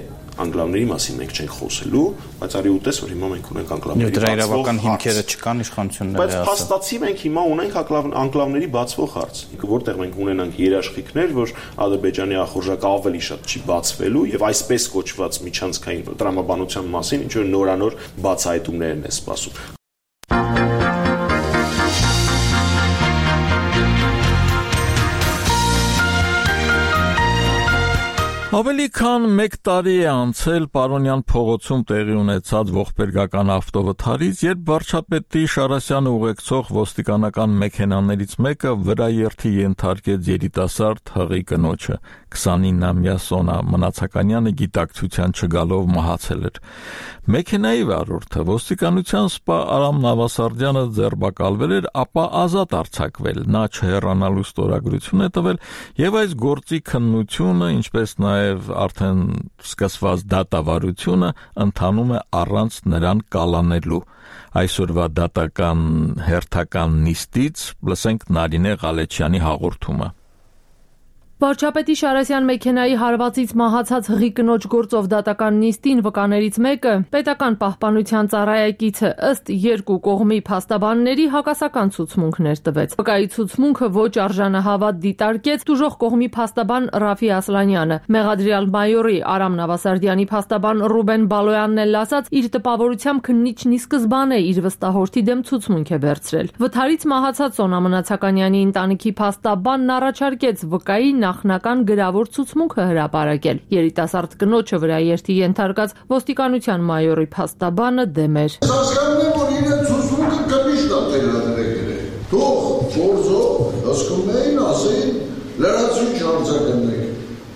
անկլավների մասին մենք չենք խոսելու, բայց արի ուտես, որ հիմա մենք ունենք անկլավների դրա իրավական հիմքերը չկան իշխանությունները բայց փաստացի մենք հիմա ունենք անկլավների բացվող հարց, որտեղ մենք ունենանք երաշխիքներ, որ Ադրբեջանի ախորժակը ավելի շատ չի բացվելու եւ այսպես կոչված միջանցքային տրամաբանության մասին ինչ որ նորանոր բացահայտումներն է սպասում։ Ավելի քան մեկ տարի է անցել Պարոնյան փողոցում տեղի ունեցած ողբերգական ավտովթարից, երբ վարչապետի Շարասյանը ուղեկցող ոստիկանական մեքենաներից մեկը վրաերթի ենթարկեց երիտասարդ հղի կնոջը։ քսանինամյա Սոնա Մնացականյանը գիտակցության չգալով մահացել էր։ Մեքենայի վարորդը ոստիկանության սպա Արամ Նավասարդյանը ձերբակալվել էր, ապա ազատ արձակվել։ Նա չհեռանալու ստորագրություն է տվել եւ այս գործի քննությունը, ինչպես նաեւ արդեն սկսված դատավարությունը ընթանում է առանց նրան կալանելու։ Այսօրվա դատական հերթական նիստից լսենք Նարինե Ղալեչյանի հաղորդումը։ Վարչապետի Շարասյան մեքենայի հարվածից մահացած հղի կնոջ գործով դատական նիստին վկաներից մեկը պետական պահպանության ծառայեկիցը ըստ երկու կողմի փաստաբանների հակասական ցուցմունքներ տվեց։ Վկայի ցուցմունքը ոչ արժանահավատ դիտարկեց դժոխք կողմի փաստաբան Ռաֆի Ասլանյանը։ Մեղադրյալ մայորի Արամ Նավասարդյանի փաստաբան Ռուբեն Բալոյանն էլ ասաց, իր տպավորությամբ քննիչն ի սկզբանե իր վստահորդի դեմ ցուցմունք է վերցրել։ Վթարից մահացած Սոնա Մնացականյանի ընտանիքի փաստաբանն առաջարկեց վկայի նախնական գրավոր ցուցմունքը հրապարակել։ Երիտասարդ կնոջը վրաերթի ենթարկած ոստիկանության մայորի փաստաբանը դեմ էր։ Հասկանում եմ, որ իրեն ցուցմունքը կմիշտ ատելադրել է։ Թող գործով հասկումներին ասեն լրացուցիչ արձագանք։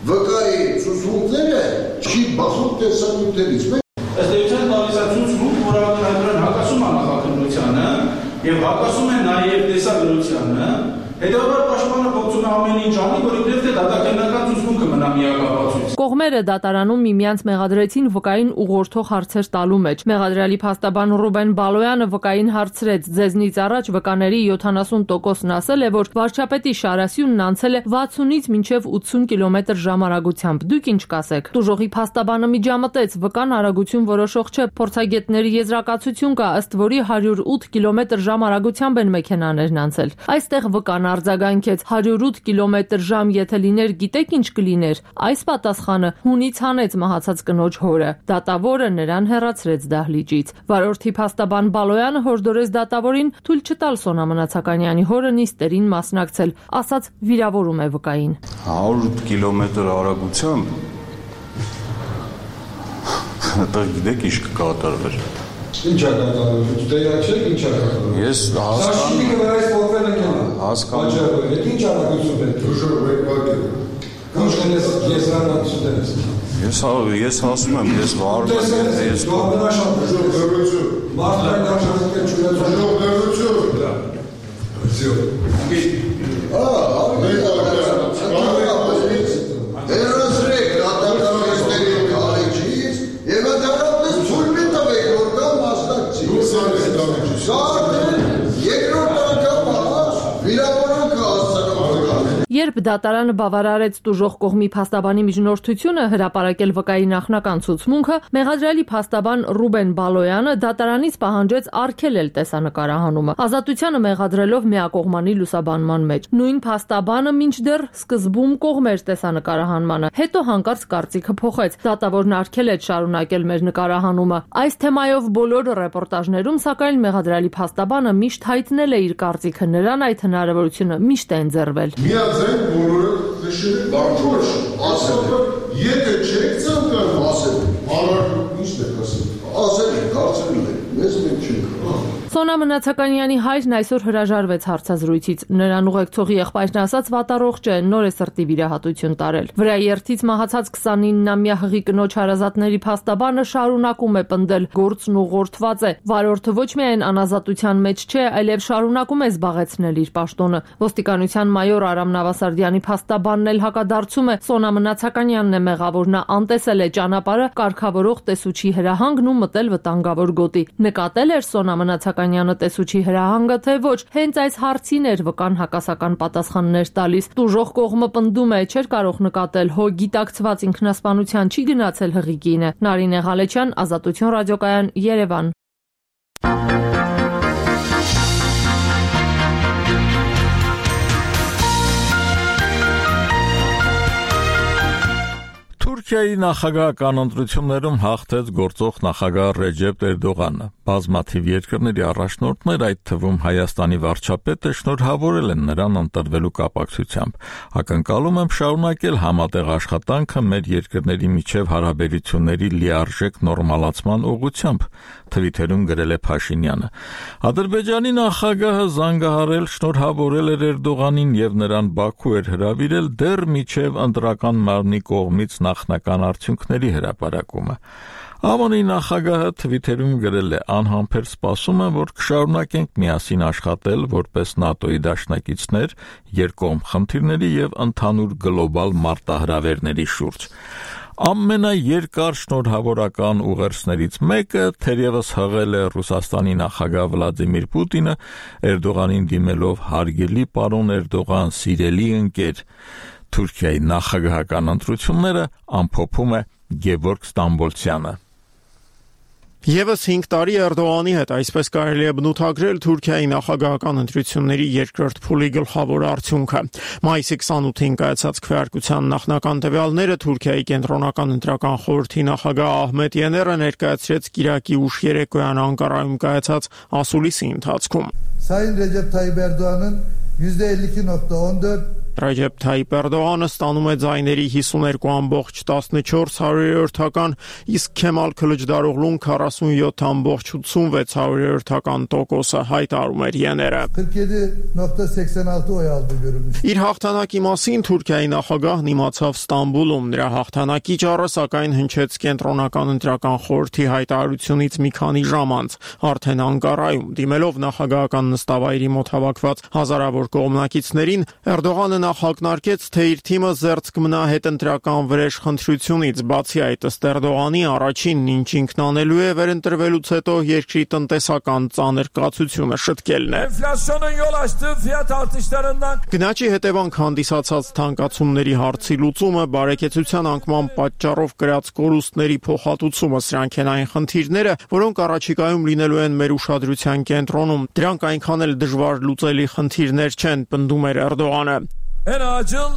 Վկայի ցուցմունքները չի բախում տեսանյութերից։ Ըստ էության տալիս է ցուցմունք, որը ընդհանրապես հակասում է նախաքննությանը եւ հակասում է նաեւ տեսագրությանը։ Հետևաբար պաշտպանը փորձում է ամեն ինչ անի, որ իբրև թե դատականական ցուցմունքը մնա միակապացույց։ Կողմերը դատարանում միմյանց մեղադրեցին վկային ուղղորդող հարցեր տալու մեջ։ Մեղադրյալի փաստաբան Ռուբեն Բալոյանը վկային հարցրեց. «Ձեզնից առաջ վկաների յոթանասուն տոկոսն ասել է, որ վարչապետի Շարասյունն անցել է վաթսունից մինչև ութսուն կիլոմետր ժամարագությամբ։ Դուք ինչ կասեք»։ Դժոխքի փաստաբանը միջամտեց. վկան արագություն որոշող չէ, փորձագետների եզրակացություն կա, ըստ որի հարյուր ութ կիլոմետր ժամարագությամբ են մեքենաներն անցել։ Այստեղ վկան արձագանքեց. հարյուր ութ կիլոմետր ժամ եթե լիներ, գիտեք ինչ կլիներ։ Այս պատասխանը հունից հանեց մահացած կնոջ հորը։ Դատավորը նրան հեռացրեց դահլիճից։ Վարորդի փաստաբան Բալոյանը հորդորեց դատավորին թույլ չտալ Սոնա Մնացականյանի հորը նիստերին մասնակցել, ասաց վիրավորում է վկային։ հարյուր ութ կիլոմետր արագությամբ դա գիտեք ինչ կկատարվեր։ Ինչ է կատարվում։ Դու տեղյակ չեք ինչ է կատարվում։ Ես հասկանում եմ, այս փոխվել են կան։ Հասկանում եմ։ Այդ ինչ արագություն է։ Դժոխ վեկվագել։ Ինչ կնես ես ռանացու դես։ Ես ես ասում եմ, ես վարում եմ, ես դժոխ դժոխ մարդկային արժանիքը չունես դժոխ դժոխ։ Դա։ Всё։ Ահա, Երասրեք դատականների քարիչից եւ դրանից ցույց մի տվեք որ կա մասնակցի։ Երկրորդ անգամ վիրավորանքը հասցնող։ Երբ դատարանը բավարարեց դժոխք կողմի փաստաբանի միջնորդությունը հրապարակել վկայի նախնական ցուցմունքը, մեղադրյալի փաստաբան Ռուբեն Բալոյանը դատարանից պահանջեց արգելել տեսանկարահանումը, ազատությանը մեղադրելով միակողմանի լուսաբանման մեջ։ Նույն փաստաբանը մինչդեռ սկզբում կողմեր տեսանկարահանմանը, հետո հանկարծ կարծիքը փոխեց։ Դատավորն արգելեց շարունակել մեր նկարահանումը։ Այս թեմայով բոլոր ռեպորտաժներում, սակայն մեղադրյալի փաստաբանը միշտ հայտնել է իր կարծիքը, նրան այդ հնարավորությունը միշտ է ընձեռվել։ Միաձայն բոլորը նշել են բարձր, ասել, եթե չեք ցանկանում ասել, առարկու ինչ եք ասել, ասել եք, հարցրել եք, մեզ մենք չենք։ Սոնա Մնացականյանի հայրն այսօր հրաժարվեց հարցազրույցից։ Նրան ուղեկցող եղբայրն ասաց վատառողջ է, նոր է սրտի վիրահատություն տարել։ Վրաերթից մահացած քսանինամյա հղի կնոջ հարազատների փաստաբանը շարունակում է պնդել, գործն ուղղորդված է։ Վարորդը ոչ միայն անազատության մեջ չէ, այլև շարունակում է զբաղեցնել իր պաշտոնը։ Ոստիկանության մայոր Արամ Նավասարդյանի փաստաբանն էլ հակադարձում է, Սոնա Մնացականյանն է մեղավոր, նա անտեսել է ճանապարհը կարգավորող տեսուչի հրահանգն ու մտել վտանգավոր գոտի։ Նկատել էր Սոնա Մնացականյանը Բաղրամյանը տեսուչի հրահանգը, թե ոչ, հենց այս հարցին էր վկան հակասական պատասխաններ տալիս։ Տուժող կողմը պնդում է, չէր կարող նկատել, հո գիտակցված ինքնասպանության չի գնացել հղիկինը։ Նարինե Ղալեչյան, Ազատություն ռադիոկայան, Երևան։ Թուրքիայի նախագահական ընտրություններում հաղթեց գործող նախագահ Ռեջեփ Էրդողանը։ Բազմաթիվ երկրների առաջնորդներ, այդ թվում Հայաստանի վարչապետը, շնորհավորել են նրան ընտրվելու կապակցությամբ։ Ակնկալում եմ շարունակել համատեղ աշխատանքը մեր երկրների միջև հարաբերությունների լիարժեք նորմալացման ուղղությամբ, թվիթերում գրել է Փաշինյանը։ Ադրբեջանի նախագահը զանգահարել շնորհավորել էր Էրդողանին եւ նրան Բաքու էր հրավիրել դեռ միջև ընտրական մարմնի կողմից նախնական արդյունքների հրապարակումը։ ԱՄՆ-ի նախագահը թվիթերում գրել է. «Անհամբեր սպասում եմ, որ կշարունակենք միասին աշխատել որպես ՆԱՏՕ-ի դաշնակիցներ երկկողմ խնդիրների եւ ընդհանուր գլոբալ մարտահրավերների շուրջ»։ Ամենաերկար շնորհավորական ուղերձներից մեկը թերևս հղել է Ռուսաստանի նախագահ Վլադիմիր Պուտինը, Էրդողանին դիմելով «Հարգելի պարոն Էրդողան, սիրելի ընկեր»։ Թուրքիայի նախագահական ընտրությունները ամփոփում է Գևորգ Ստամբոլցյանը։ Եվս հինգ տարի Էրդողանի հետ, այսպես կարելի է բնութագրել Թուրքիայի նախագահական ընտրությունների երկրորդ փուլի գլխավոր արդյունքը։ Մայիսի քսանութին կայացած քվեարկության նախնական տվյալները Թուրքիայի կենտրոնական ընտրական խորհրդի նախագահ Ահմեդ Յեները ներկայացրեց կիրակի ուշ երեկոյան Անկարայում կայացած ասուլիսի ընթացքում։ Sayın Recep Tayyip Erdoğan'ın yüzde elli iki nokta on dört Ռեջեփ Թայիպ Էրդողանը ստանում է ձայների հիսուներկու բացարձակ տասնչորս հարյուրյոթական, իսկ Քեմալ Քլիչդարօղլուն քառասունյոթ բացարձակ ութսունվեց հարյուրյոթական տոկոսը, հայտարարում էր Յեները։ kırk yedi nokta seksen altı oy aldı görülmüş։ Իր հաղթանակի մասին Թուրքիայի նախագահն իմացավ Ստամբուլում։ Նրա հաղթանակի ճառը սակայն հնչեց կենտրոնական ընտրական խորհրդի հայտարարությունից մի քանի ժամ անց, արդեն Անկարայում, դիմելով նախագահական նստավայրի մոտ հավաքված հազարավոր կողմնակիցներին, Էրդողանը ակնարկեց, թե իր թիմը զերծ կմնա հետընտրական վրեժ խնդրությունից, բացի այդ ըստ Էրդողանի առաջինն ինչ ինքն անելու է վերընտրվելուց հետո երկրի տնտեսական ծանր կացությունը շտկելն է։ Գնաճի հետևանք հանդիսացած թանկացումների հարցի լուծումը, բարեկեցության անկման պատճառով կրած կորուստների փոխհատուցումը, սրանք են այն խնդիրները, որոնք առաջիկայում լինելու են մեր ուշադրության կենտրոնում։ Դրանք այնքան էլ դժվար լուծելի խնդիրներ չեն, պնդում էր Էրդողանը։ En acil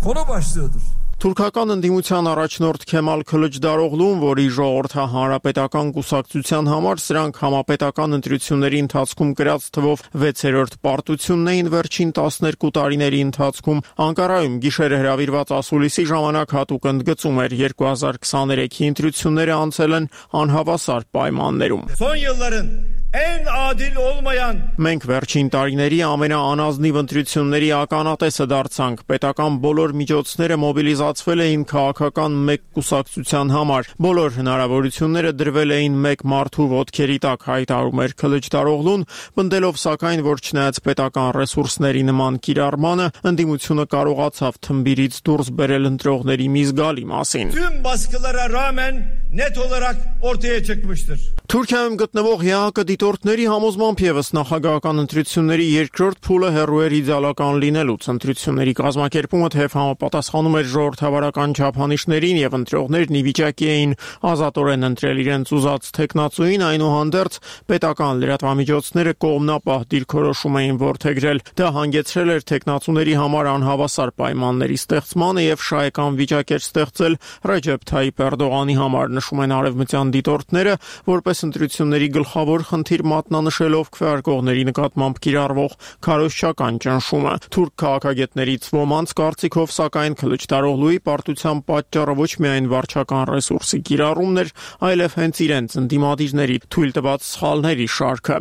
konu başlığıdır. Թուրքական ընդդիմության առաջնորդ Քեմալ Քլիչդարօղլուն, որի ժողովրդը հանրապետական կուսակցության համար սրանք համապետական ընտրությունների ընթացքում գրած թվով վեցերորդ պարտությունն էին վերջին տասներկու տարիների ընթացքում, Անկարայում գիշերը հրավիրված ասուլիսի ժամանակ հատուկ ընդգծում էր երկու հազար քսաներեքի ընտրությունները անցել են անհավասար պայմաններում։ Son yılların en adil olmayan Մենք վերջին տարիների ամենաանազնիվ ընտրությունների ականատեսը դարձանք։ Պետական բոլոր միջոցները մոբիլիզացվել էին քաղաքական մեկ կուսակցության համար։ Բոլոր հնարավորությունները դրվել էին մեկ մարդու ոտքերի տակ, հայտարարում էր Քլիչդարօղլուն, պնդելով սակայն, որ չնայած պետական ռեսուրսների նման կիրառմանը, ընդդիմությունը կարողացավ թմբիրից դուրս բերել ընտրողների մի զգալի մասին։ Tüm baskılara rağmen net olarak ortaya çıkmıştır։ Թուրքիայում գտնվող ԵԱՀԿ դիտորդների համոզմամբ եւս նախագահական ընտրությունների երկրորդ փուլը հեռու էր իդեալական լինելուց։ Ընտրությունների կազմակերպումը թեև համապատասխանում էր ժողովրդավարական չափանիշներին եւ ընտրողներն ի վիճակի էին ազատորեն ընտրել իրենց ուզած թեկնածուին, այնուհանդերձ պետական լրատվամիջոցները կողմնապահ դիրքորոշում էին որդեգրել։ Դա հանգեցրել էր թեկնածուների համար անհավասար պայմանների ստեղծմանը եւ շահեկան վիճակ էր ստեղծել Ռեջեփ Թայիպ Էրդողանի համար, նշում են արևմտյան դիտորդները, որպես ընտրությունների գլխավոր խնդիր մատնանշելով քվեարկողների նկատմամբ կիրառվող քարոզչական ճնշումը։ Թուրք քաղաքագետներից ոմանց կարծիքով սակայն Քլիչդարօղլուի պարտության պատճառը ոչ միայն վարչական ռեսուրսի կիրառումն էր, այլև հենց իրենց ընդդիմադիրների թույլ տված սխալների շարքը։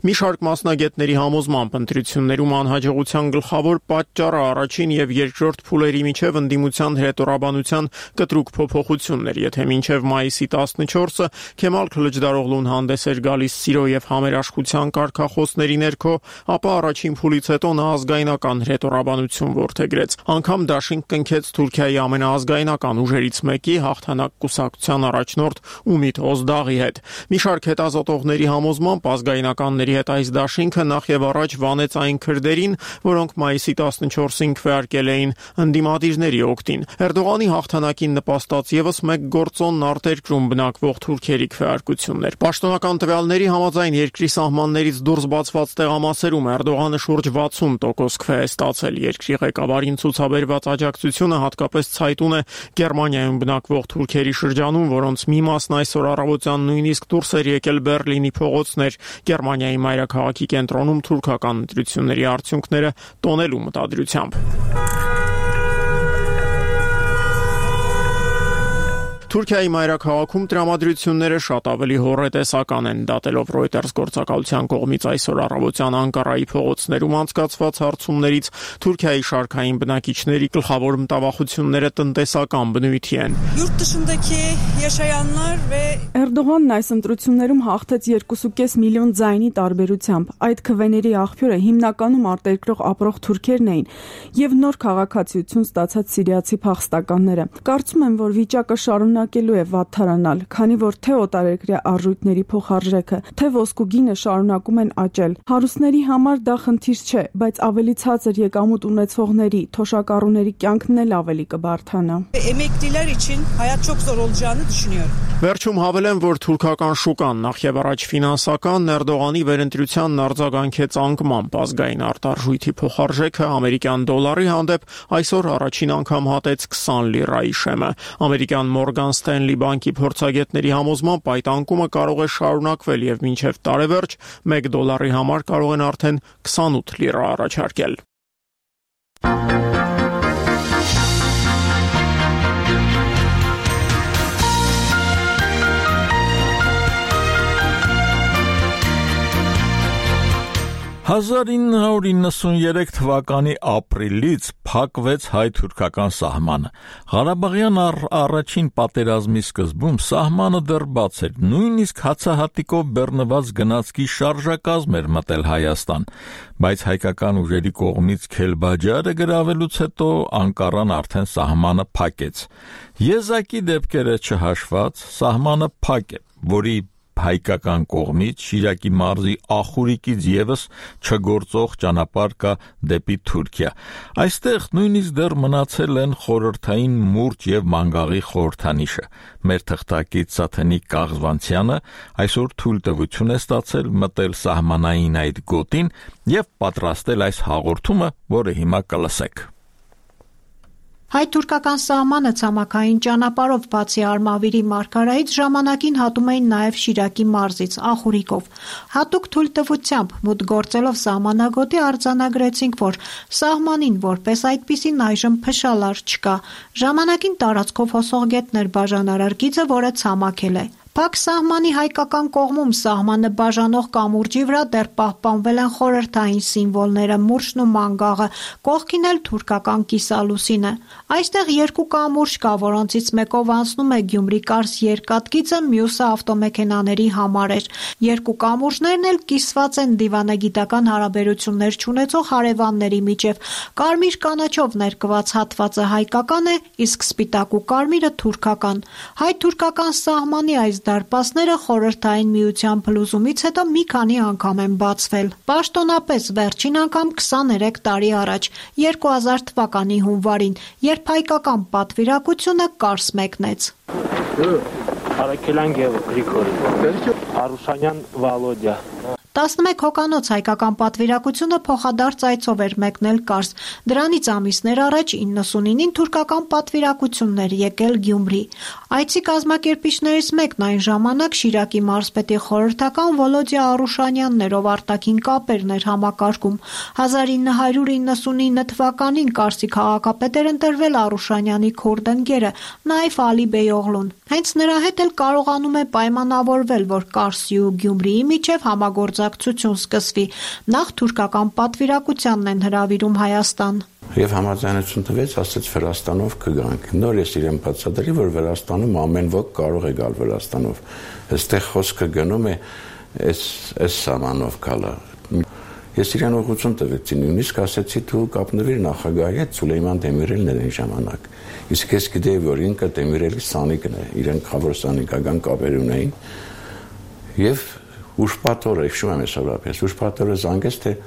Մի շարք մասնագետների համոզմամբ ընտրություններում անհաջողության գլխավոր պատճառը առաջին եւ երկրորդ փուլերի միջև ընդդիմության հրետորաբանության կտրուկ փոփոխությունն էր, եթե մինչև մայիսի մայիսի տասնչորսը Քեմալ Քլիչդարօղլուն հանդես էր գալիս սիրո եւ համերաշխության կարգախոսների ներքո, ապա առաջին փուլից հետո նա ազգայնական հռետորաբանություն որդեգրեց։ Անգամ դաշինք կնքեց Թուրքիայի ամենաազգայնական ուժերից մեկի հաղթանակ կուսակցության առաջնորդ Ումիդ Օզդաղի հետ։ Մի շարք հետազոտողների համոզմամբ ազգայնականների հետ այս դաշինքը նախ եւ առաջ վանեց այն քրդերին, որոնք մայիսի տասնչորսին քվեարկել էին ընդդիմադիրների օգտին։ Էրդողանի հաղթանակին նպաստած եւս մեկ գործոն արտերկրում բնակվող թուրքերի քվեարկություններ։ Պաշտոնական տվյալների համաձայն երկրի սահմաններից դուրս բացված տեղամասերում Էրդողանը շուրջ վաթսուն տոկոս քվե է ստացել։ Երկրի ղեկավարին ցուցաբերված աջակցությունը հատկապես ցայտուն է Գերմանիայում բնակվող թուրքերի շրջանում, որոնց մի մասն այսօր առավոտյան նույնիսկ դուրս էր եկել Բերլինի փողոցներ, Գերմանիայի մայրաքաղաքի կենտրոնում թուրքական ընտրությունների արդյունքները տոնելու մտադրությամբ։ Թուրքիայի մայրաքաղաքում տրամադրությունները շատ ավելի հոռետեսական են, դատելով Reuters գործակալության կողմից այսօր առավոտյան Անկարայի փողոցներում անցկացված հարցումներից Թուրքիայի շարքային բնակիչների գլխավոր մտավախությունները տնտեսական բնույթի են։ Էրդողանն այս ընտրություններում հաղթեց երկու կես միլիոն ձայնի տարբերությամբ։ Այդ քվեների աղբյուրը հիմնականում արտերկրող ապրող թուրքերն էին եւ նոր քաղաքացիություն ստացած սիրիացի փախստականները։ Կարծում եմ, որ վիճակը շարունակելու է վատթարանալ, քանի որ թե օտարերկրյա արժույթների փոխարժեքը, թե ոսկու գինը շարունակում են աճել։ Հարուստների համար դա խնդիր չէ, բայց ավելի ցածր եկամուտ ունեցողների, թոշակառուների կյանքն էլ ավելի կբարթանա։ Վերջում հավելեմ, որ թուրքական շուկան նախ եւ առաջ ֆինանսական Էրդողանի վերընտրությանն արձագանքեց անկմամբ ազգային արտարժույթի փոխարժեքը ամերիկյան դոլարի հանդեպ այսօր առաջին անգամ հատեց քսան լիրայի շեմը։ Ամերիկյան Morgan Stanley բանկի փորձագետների համոզմամբ այդ անկումը կարող է շարունակվել եւ մինչեւ տարեվերջ մեկ դոլարի համար կարող են արդեն քսանութ լիրա առաջարկել։ հազար ինը հարյուր իննսուներեք թվականի ապրիլից փակվեց հայ-թուրքական սահմանը։ Ղարաբաղյան առ առաջին պատերազմի սկզբում սահմանը դեռ բաց էր, նույնիսկ հացահատիկով բեռնված գնացքի շարժակազմ էր մտել Հայաստան, բայց հայկական ուժերի կողմից Քելբաջարը գրավելուց հետո Անկարան արդեն սահմանը փակեց։ Եզակի դեպքերը չհաշված սահմանը փակ է, որի հայկական կողմից Շիրակի մարզի Ախուրիկից եւս չգործող ճանապարհ կա դեպի Թուրքիա։ Այստեղ նույնիսկ դեռ մնացել են խորհրդային մուրճ եւ մանգաղի խորհրդանիշը։ Մեր թղթակից Սաթենիկ Կաղզվանցյանը այսօր թույլտվություն է ստացել մտել սահմանային այդ գոտին եւ պատրաստել այս հաղորդումը, որը հիմա կլսեք։ Հայ-թուրքական սահմանը ցամաքային ճանապարհով բացի Արմավիրի մարգարայից ժամանակին հատում էին նաև Շիրակի մարզից Ախուրիկով։ Հատուկ թույլտվությամբ մուտք գործելով սահմանագոտի արձանագրեցինք, որ սահմանին որպես այդպիսին այժմ փշալար չկա։ Ժամանակին տարածքով հոսող գետներ բաժանարար գիծը, որը ցամաքել է։ Փակ սահմանի հայկական կողմում սահմանը բաժանող կամուրջի վրա դեռ պահպանվել են խորհրդային սիմվոլները՝ մուրճն ու մանգաղը, կողքին էլ թուրքական կիսալուսինը։ Այստեղ երկու կամուրջ կա, որոնցից մեկով անցնում է Գյումրի-Կարս երկաթգիծը, մյուսը ավտոմեքենաների համար էր։ Երկու կամուրջներն էլ կիսված են դիվանագիտական հարաբերություններ չունեցող հարևանների միջև։ Կարմիր կանաչով ներկված հատվածը հայկական է, իսկ սպիտակ ու կարմիրը թուրքական։ Հայ-թուրքական սահմանի այս դարպասները խորհրդային միության փլուզումից հետո մի քանի անգամ են բացվել։ Պաշտոնապես վերջին անգամ քսաներեք տարի առաջ, երկու հազար թվականի հունվարին, երբ հայկական պատվիրակությունը Կարս մեկնեց։ Արաքելյան Գրիգորի, Արուսանյան Վալոդյա։ տասնմեկ հոկանոց հայկական պատվիրակությունը փոխադարձ այցով էր մեկնել Կարս։ Դրանից ամիսներ առաջ իննսունինին թուրքական պատվիրակություններ եկել Գյումրի։ Այցի կազմակերպիչներից մեկն այն ժամանակ Շիրակի մարզպետի խորհրդական Վոլոդյա Արուշանյանն էր, ով արտաքին կապերն էր համակարգում։ հազար ինը հարյուր իննսունինը թվականին Կարսի քաղաքապետ էր ընտրվել Արուշանյանի քուրդ ընկերը, նաև Ալի Բեյօղլուն։ Հենց նրա հետ էլ կարողանում է պայմանավորվել, որ Կարսի ու Գյումրիի միջև համագործակցություն սկսվի։ Նախ թուրքական պատվիրակությանն են հրավիրում Հայաստան։ Եվ համաձայնություն տվեց, ասաց Վրաստանով կգանք։ Նոր ես իրեն բացատրի, որ Վրաստանում ամեն ոք կարող է գալ Վրաստանով։ Այստեղ խոսքը գնում է այս այս սահմանով գալը։ Ես իրեն ուղղություն տվեցի, նույնիսկ ասեցի դու կապնվիր նախագահի հետ, Սուլեյման Դեմիրելն էր այն ժամանակ։ Իսկ ես գիտեի, որ ինքը Դեմիրելի սանիկն է, իրեն խավոր սանիկական կապեր ունեին։ Եվ ուշպատորը, հիշում եմ այսօրապես, ուշպատորը զանգեց, թե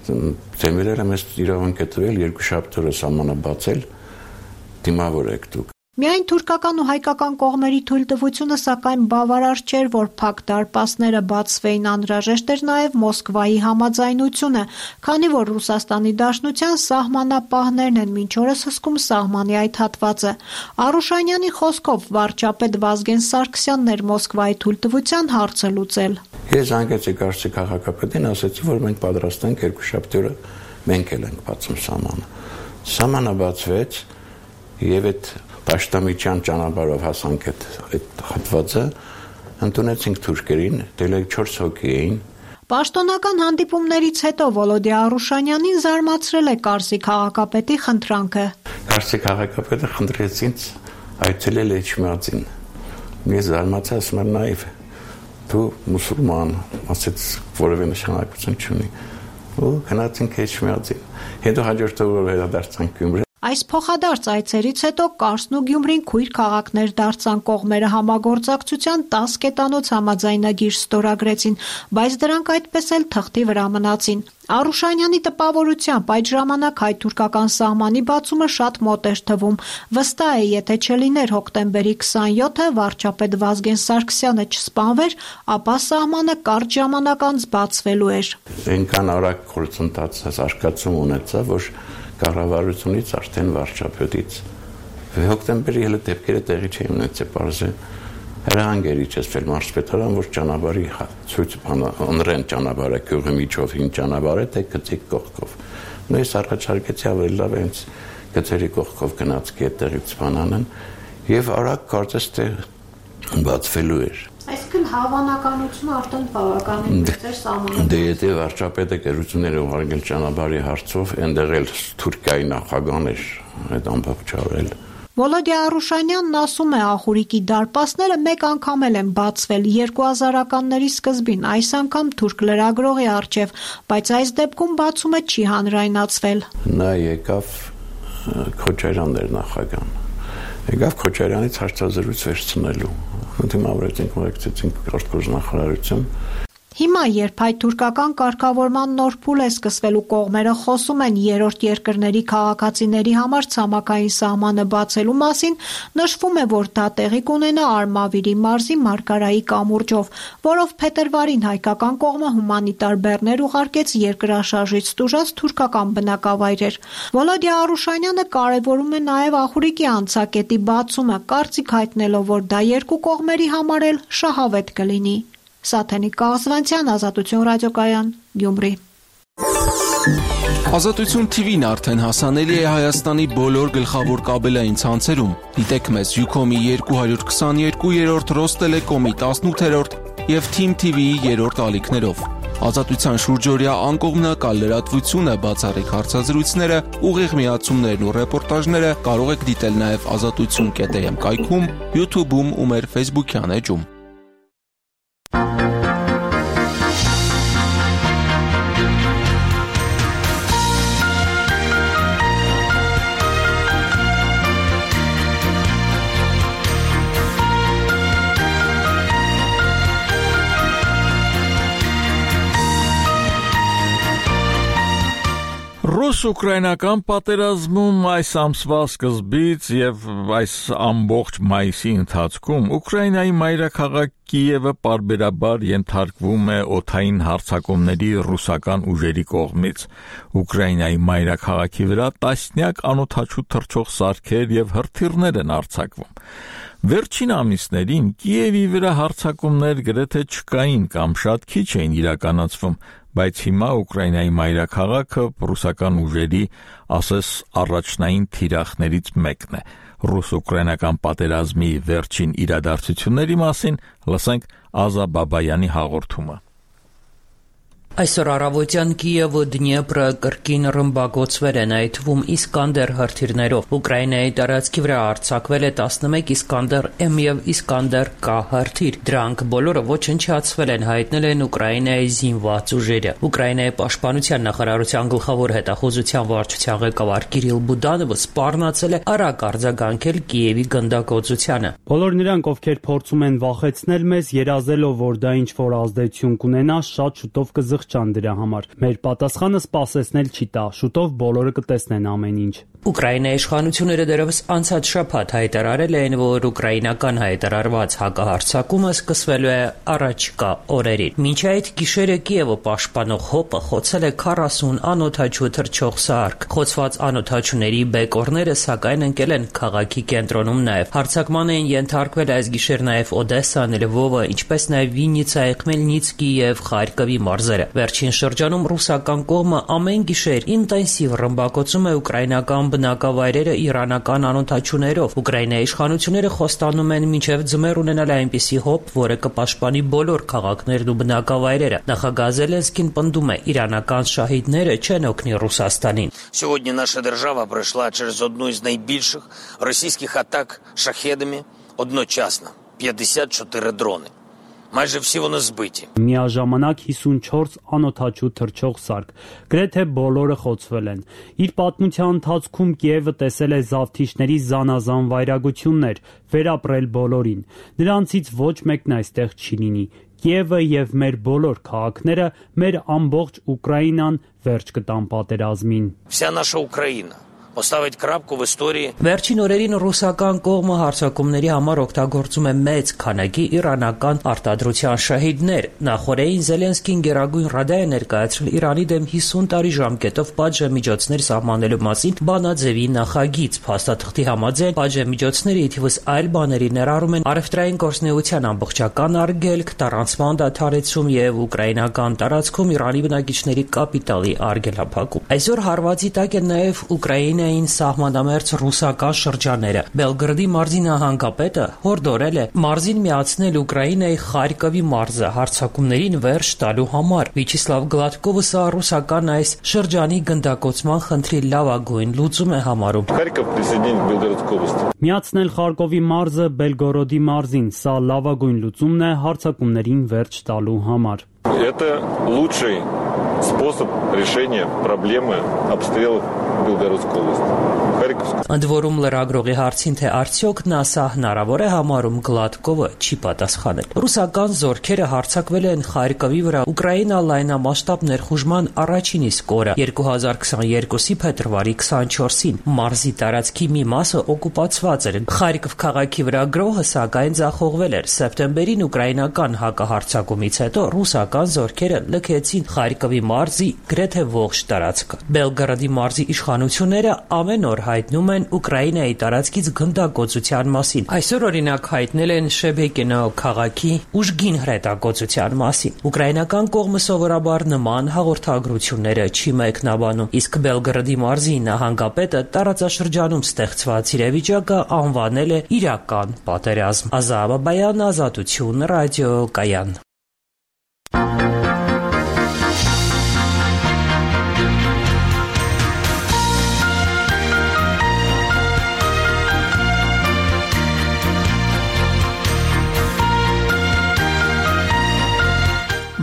Դեմիրելը մեզ իրավունք է տվել երկու շաբթ օրը սահմանը բացել, դիմավորեք դուք։ Միայն թուրքական ու հայկական կողմերի թույլտվությունը սակայն բավարար չէր, որ փակ դարպասները բացվեին, անհրաժեշտ էր նաև Մոսկվայի համաձայնությունը, քանի որ Ռուսաստանի Դաշնության սահմանապահներն են մինչ օրս հսկում սահմանի այդ հատվածը։ Արուշանյանի խոսքով վարչապետ Վազգեն Սարգսյանն էր Մոսկվայի թույլտվության հարցը լուծել։ Ես զանգեցի Կարճի քաղաքապետին, ասացի, որ մենք պատրաստ ենք երկու շաբթի օրը մենք էլ ենք բացում սահմանը։ Սահմանը բացվեց եւ այդ Պաշտամիջյան ճանապարհով հասանք այդ այդ հատվածը, ընդունեցինք թուրքերին, դեռ չորս հոգի էին։ Պաշտոնական հանդիպումներից հետո Վոլոդի Արուշանյանին զարմացրել է Կարսի քաղաքապետի խնդրանքը։ Կարսի քաղաքապետը խնդրեց ինձ այցելել Էջմիածին։ Ես զարմացա, ասում եմ նայվ, դու մուսուլման, ասեց որևէ նշանակություն չունի։ Ու գնացինք Էջմիածին։ Հետո հաջորդ օրը վերադարձանք Գյումրի։ Այս փոխադարձ այցերից հետո Կարսն ու Գյումրին քույր քաղաքներ դարձան, կողմերը համագործակցության տաս կետանոց համաձայնագիր ստորագրեցին, բայց դրանք այդպես էլ թղթի վրա մնացին։ Արուշանյանի տպավորությամբ այդ ժամանակ հայ-թուրքական սահմանի բացումը շատ մոտ էր թվում։ Վստահ է, եթե չլիներ հոկտեմբերի քսաներկուսը վարչապետ Վազգեն Սարգսյանը չսպանվեր, ապա սահմանը կարճ ժամանակ անց բացվելու էր։ Այնքան արագ գործընթաց զարգացում ունեցավ, որ կառավարությունից արդեն վարչապետից հոկտեմբերի հենց դեպքերը տեղի չէին ունեցել, բարձր հրահանգերի չեսվել մարզպետարան, որ ճանապարհի ցույց բանընդրեն ճանապարհը գյուղի միջով հին ճանապարհը թե գծիկ կողքով։ Նույն ես առաջարկեցի ավելի լավ հենց գծերի կողքով գնացքի այդտեղից բանանեն եւ արագ կարծես թե բացվելու էր։ Այսինքն հավանականությունը արդեն բավականին մեծ էր սահմանը։ Դե եթե վարչապետը գերությունները ուղարկել ճանապարհի հարցով, այնտեղ էլ Թուրքիայի նախագահն էր այդ ամբողջ արել։ Վոլոդի Արուշանյանն ասում է, աղուրիկի դարպասները մեկ անգամ էլ են բացվել երկու հազարականների սկզբին, այս անգամ թուրք լրագրողի առջև, բայց այս դեպքում բացումը չի հանրայնացվել։ Նա եկավ Քոչարյանն էր նախագահան։ Եկավ Քոչարյանից հարցազրույց վերցնելու։ Դիմավորեցինք, ուղեկցեցինք արտգործնախարարություն։ Հիմա, երբ հայ-թուրքական կարգավորման նոր փուլ է սկսվելու, կողմերը խոսում են երրորդ երկրների քաղաքացիների համար ցամաքային սահմանը բացելու մասին, նշվում է, որ դա տեղի կունենա Արմավիրի մարզի Մարգարայի կամուրջով, որով փետրվարին հայկական կողմը հումանիտար բեռներ ուղարկեց երկրաշարժից տուժած թուրքական բնակավայրեր։ Վոլոդի Արուշանյանը կարևորում է նաև աղուրիկի անցակետի բացումը, կարծիք հայտնելով, որ դա երկու կողմերի համար էլ շահավետ կլինի։ Սաթենիկ Կաղզվանցյան, Ազատություն ռադիոկայան, Գյումրի։ Ազատություն թիվին արդեն հասանելի է Հայաստանի բոլոր գլխավոր կաբելային ցանցերում։ Դիտեք մեզ Յուքոմի երկու հարյուր քսաներկու, Ռոստելեկոմի տասնութերորդ եւ Թիմ թի վիի երրորդ ալիքներով։ Ազատության շուրջօրյա անկողմնակալ լրատվությունը, բացառիկ հարցազրույցները, ուղիղ միացումներն ու ռեպորտաժները կարող եք դիտել նաեւ ազատություն կետ էմ կայքում, YouTube-ում ու մեր Facebook-յան էջում։ Ռուս-ուկրաինական պատերազմում այս ամսվա սկզբից եւ այս ամբողջ մայիսի ընթացքում Ուկրաինայի մայրաքաղաք Կիևը պարբերաբար ենթարկվում է օդային հարձակումների ռուսական ուժերի կողմից։ Ուկրաինայի մայրաքաղաքի վրա տասնյակ անօդաչու թռչող սարքեր եւ հրթիռներ են արձակվում։ Վերջին ամիսներին Կիևի վրա հարձակումներ գրեթե չկային կամ շատ քիչ էին իրականացվում, բայց հիմա Ուկրաինայի մայրաքաղաքը ռուսական ուժերի, ասես, առաջնային թիրախներից մեկն է։ Ռուս-ուկրաինական պատերազմի վերջին իրադարձությունների մասին լսենք Ազա Բաբայանի հաղորդումը։ Այսօր առավոտյան Կիևը Դնիեպրը կրկին ռմբակոծվել են, այդ թվում Իսկանդեր հրթիռներով։ Ուկրաինայի տարածքի վրա արձակվել է տասնմեկ Իսկանդեր M եւ Իսկանդեր K հրթիռ։ Դրանք բոլորը ոչնչացվել են, հայտնել են Ուկրաինայի զինված ուժերը։ Ուկրաինայի պաշտպանության նախարարության գլխավոր հետախուզության վարչության ղեկավար Կիրիլ Բուդանովը սպառնացել է արագ արձագանքել Կիևի գնդակոծությանը։ Բոլոր նրանք, ովքեր փորձում են վախեցնել մեզ, երազելով, որ դա ինչ-որ ազդեցություն կունենա, շատ շուտով կզղջան դրա համար։ Մեր պատասխանը սպասեցնել չի տա, շուտով բոլորը կտեսնեն ամեն ինչ։ Ուկրաինայի իշխանությունները դեռևս անցած շաբաթ հայտարարել էին, որ ուկրաինական հայտարարված հակահարձակումը սկսվելու է առաջիկա օրերին։ Մինչ այդ գիշերը Կիևը պաշտպանող հոպը խոցել է քառասուն անօդաչու թռչող սարք։ Խոցված անօդաչուների բեկորները սակայն ընկել են քաղաքի կենտրոնում նաև։ Հարձակման էին ենթարկվել այս գիշեր նաև Օդեսան, Լվովը, ինչպես նաև Վիննիցայի, Խմելնիցկի եւ Խարկովի մարզերը։ Վերջին շրջանում ռուսական կողմը ամեն գիշեր ինտենսիվ ռմբակոծում է ուկրաինական բնակավայրերը իրանական անօդաչուներով։ Ուկրաինայի իշխանությունները խոստանում են մինչև ձմեռ ունենալ այնպիսի հոպ, որը կպաշտպանի բոլոր քաղաքներն ու բնակավայրերը։ Նախագահ Զելենսկին պնդում է, իրանական շահիդները չեն օգնի Ռուսաստանին։ Сьогодні наша держава пройшла через одну із найбільших російських атак шахедами одночасно. п'ятдесят чотири дрони. Майже всі вони збиті. Միաժամանակ հիսունչորս անօդաչու թռչող սարք, գրեթե բոլորը խոցվել են։ Իր պատմության ընթացքում Կիևը տեսել է զավթիչների զանազան վայրագություններ, վերապրել բոլորին։ Նրանցից ոչ մեկն այստեղ չի լինի։ Կիևը եւ մեր բոլոր քաղաքները, մեր ամբողջ Ուկրաինան վերջ կտան պատերազմին։ Вся наша Україна поставить крапку в історії. Վերջին օրերին ռուսական կողմը հարձակումների համար օգտագործում է մեծ քանակի իրանական արտադրության շահիդներ։ Նախորդին Զելենսկին Գերագույն Ռադա է ներկայացրել Իրանի դեմ հիսուն տարի ժամկետով պատժամիջոցներ սահմանելու մասին բանաձևի նախագիծ։ Փաստաթղթի համաձայն պատժամիջոցները ի թիվս այլ բաների ներառում են առևտրային գործունեության ամբողջական արգելք, տարանցման դադարեցում եւ ուկրաինական տարածքում Իրանի բնակիչների կապիտալի արգելափակում։ Այսօր հարվածի տակ են նաեւ Ուկրաինայի սահմանամերձ ռուսական շրջանները։ Բելգրադի մարզի նահանգապետը հորդորել է մարզին միացնել Ուկրաինայի Խարկովի մարզը հարձակումներին վերջ տալու համար։ Վիչիսլավ Գլադկովը սա ռուսական այս շրջանի գնդակոծման խնդրի լավագույն լուծում է համարում։ Միացնել Խարկովի մարզը Բելգորոդի մարզին, սա լավագույն լուծումն է հարձակումներին վերջ տալու համար։ Это лучший способ решения проблемы обстрелов Белгородской области. Ընդ որում լրագրողի հարցին, թե արդյոք նա սա հնարավոր է համարում, Գլադկովը չի պատասխանել։ Ռուսական զորքերը հարձակվել են Խարկովի վրա Ուկրաինա լայնամասշտաբ ներխուժման առաջին իսկ օրը երկու հազար քսաներկուսի փետրվարի քսանչորսին։ Մարզի տարածքի մի մասը օկուպացված էր։ Խարկով քաղաքի վրա գրոհը սակայն ձախողվել էր։ Սեպտեմբերին ուկրաինական հակահարձակումից հետո ռուսական զորքերը լքեցին Խարկովի մարզի գրեթե ողջ տարածքը։ Բելգրադի մարզի իշխանությունները ամեն օր հայտնում են Ուկրաինայի տարածքից գնդակոծության մասին։ Այսօր օրինակ հայտնել են Շեբեկինո քաղաքի ուժգին հրետակոծության մասին։ Ուկրաինական կողմը սովորաբար նման հաղորդագրությունները չի մեկնաբանում, իսկ Բելգրադի մարզի նահանգապետը տարածաշրջանում ստեղծված իրավիճակը անվանել է իրական պատերազմ։ Ազատ Բաբայան, Ազատություն, ռադիոկայան։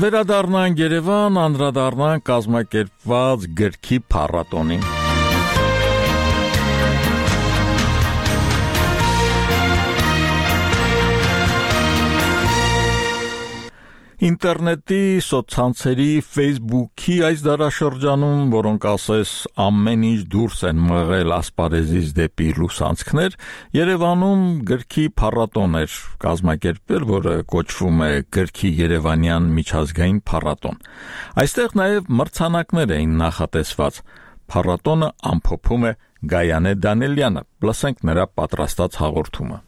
Վերադառնանք Երևան, անդրադառնանք կազմակերպված գրքի փառատոնին։ Ինտերնետի, սոցցանցերի, Facebook-ի այս դարաշրջանում, որոնք ասես ամեն ինչ դուրս են մղել ասպարեզից դեպի լուսանցքներ, Երևանում գրքի փառատոն էր կազմակերպվել, որը կոչվում է Գրքի Երևանյան միջազգային փառատոն։ Այստեղ նաև մրցանակներ էին նախատեսված։ Փառատոնը ամփոփում է Գայանե Դանիելյանը։ Լսենք նրա պատրաստած հաղորդումը։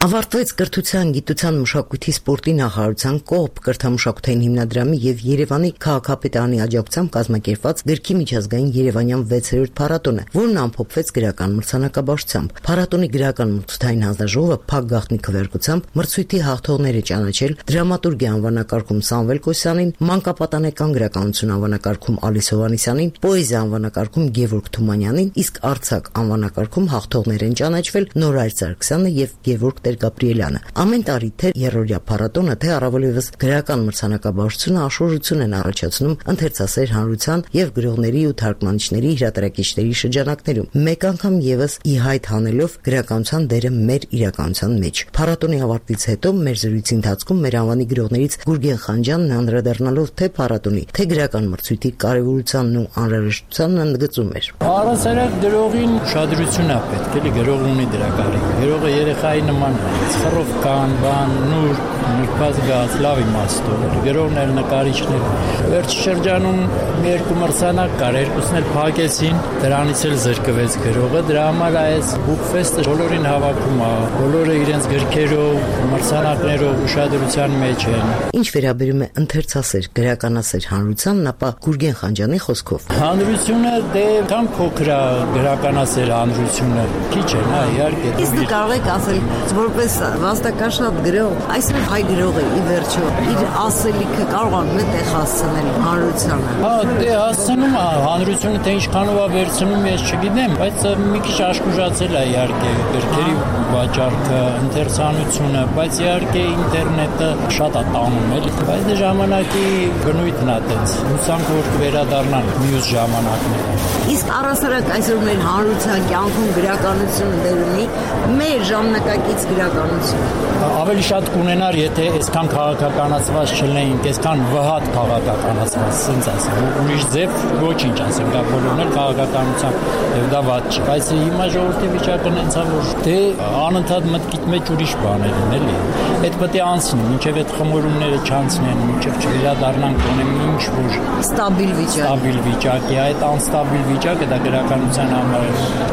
Ավարտվեց կրթության, գիտության, մշակույթի, սպորտի նախարարության կողմ կրթամշակութային հիմնադրամի եւ Երևանի քաղաքապետարանի աջակցությամբ կազմակերպված գրքի միջազգային Երևանյան վեցերորդ փառատոնը, որն ամփոփվեց գրական մրցանակաբաշխությամբ։ Փառատոնի գրական մրցութային հանձնաժողովը փակ գաղտնի քվեարկությամբ մրցույթի հաղթողները ճանաչել դրամատուրգիա անվանակարգում Սամվել Կոսյանին, մանկապատանեկան գրականություն անվանակարգում Ալիս Հովհաննիսյանին, պոեզիա անվանակարգում Գևորգ Թումանյանին, իսկ արձակ անվանակարգում հաղթողներ են ճանաչվել Նորայր Սարգսյանը եւ Գևորգ Տեր-Գաբրիելյանը։ Ամեն տարի թե երրորդյա փառատոնը, թե առավելևս գրական մրցանակաբաշխությունը աշուժություն են առաջացնում ընթերցասեր հանրության եւ գրողների ու թարգմանիչների հրատարակիչների շրջանակներում, մեկ անգամ եւս ի հայտ հանելով գրականության դերը մեր իրականության մեջ։ Փառատոնի ավարտից հետո մեր զրույցի ընթացքում մեր անվանի գրողներից Գուրգեն Խանջյանն անդրադառնալով թե փառատոնի, թե գրական մրցույթի կարևորությանն ու անհրաժեշտությանն ընդգծում էր։ Առասարակ գրողին ուշադրություն է պետք, էլի գրողն ունի դրա կարիք։ Գրողը երեխայի նման խռով կան, բան, նուր, նրբած գած, լավ իմաստով։ Գրողն էլ նկարիչն էլ։ Վերջ շրջանում մի երկու մրցանակ կար, երկուսն էլ փակեցին, դրանից էլ զրկվեց գրողը։ Դրա համար այս բուկֆեստը բոլորին հավաքում է, բոլորը իրենց գրքերով, մրցանակներով ուշադրության մեջ են։ Ինչ վերաբերում է ընթերցասեր, գրականասեր հանրությանն, ապա Գուրգեն Խանջյանի խոսքով։ Հանրությունը դե կան փոքր է գրականասեր հանրությունը, քիչ է, հա, իհարկե։ Իսկ դուք կարող եք ասել, որպես վաստակաշատ գրող, այսօր հայ գրողը ի վերջո իր ասելիքը կարող է մտեղ հասցնել հանրությանը։ Հա, դե հասցնում է հանրությունը, թե ինչքանով է վերցնում, ես չգիտեմ, բայց մի քիչ աշխուժացել է իհարկե գրքերի վաճառքը, ընթերցանությունը, բայց իհարկե ինտերնետը շատ է տանում, էլի։ Բայց դե ժամանակի բնույթն է տենց։ Հուսանք որ կվերադառնան մյուս ժամանակները։ Իսկ առասարակ այսօր մեր հանրության կյանքում գրականությունը դեր ունի, մեր ժամանակակից գրականություն։ Ավելի շատ կունենար, եթե այսքան քաղաքականացված չլինեինք, այսքան վհատ քաղաքականացված, ասենց ասեմ, ուրիշ ձև ոչինչ ասեմ, դա բոլորն էլ քաղաքականության եւ դա վատ չի։ Բայց հիմա ժողովրդի վիճակը նենց է, որ դե անընդհատ մտքիդ մեջ ուրիշ բաներ են, էլի։ Այդ պետք է անցնի, մինչև այդ խմորումները չանցնեն, մինչև չվերադառնանք ունեմ ինչ որ ստաբիլ վիճակ։ Ստաբիլ վիճակի, այդ անստաբիլ վիճակը դա գրականության համար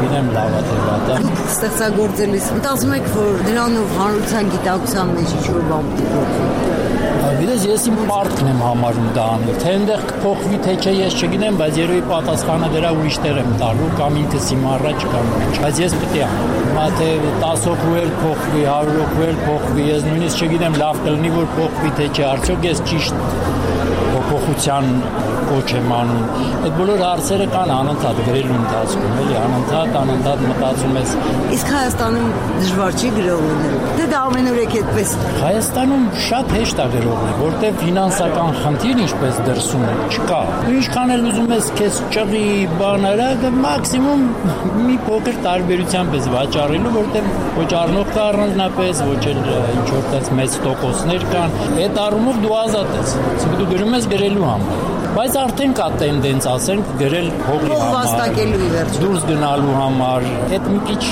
գիտեմ լավ է թե վատ է։ Ստեղծագործելիս մտածում եք, որ դրանով հանրության գիտակցության մեջ ինչ-որ բան փոխվի։ Գիտես, ես իմ պարտքն եմ համարում դա անել, թե այնտեղ կփոխվի, թե չէ, ես չգիտեմ, բայց երևի պատասխանը դրա ուրիշ տեղ եմ տալու, կամ ինքս իմ առաջ կամ ինչ, բայց ես պետք է անեմ։ Հիմա թե տասը հոգու էլ փոխվի, հարյուր հոգու էլ փոխվի, ես նույնիսկ չգիտեմ, լավ կլինի, որ փոխվի, թե չէ, արդյոք ես ճիշտ փոփոխության կոչ եմ անում։ Այդ բոլոր հարցերը կան անընդհատ գրելու ընթացքում, էլի անընդհատ, անընդհատ մտածում ես։ Իսկ Հայաստանում դժվար չի գրող լինել։ Դե դա ամենուրեք այդպես։ Հայաստանում շատ հեշտ է գրող լինել, որտեղ ֆինանսական խնդիր ինչպես դրսում է, չկա։ Ինչքան էլ ուզում ես քեզ ճղի բաները, դա մաքսիմում մի փոքր տարբերությամբ ես վաճառելու, որտեղ ոչ առնող կա առանձնապես, ոչ էլ ինչ որ տես մեծ տոկոսներ կան։ Այդ առումով դու ազատ ես։ Դու գրում ես գրելու համար։ Բայց արդեն կա տենդենց, ասենք, գրել հողի համար, դուրս գնալու համար, այդ մի քիչ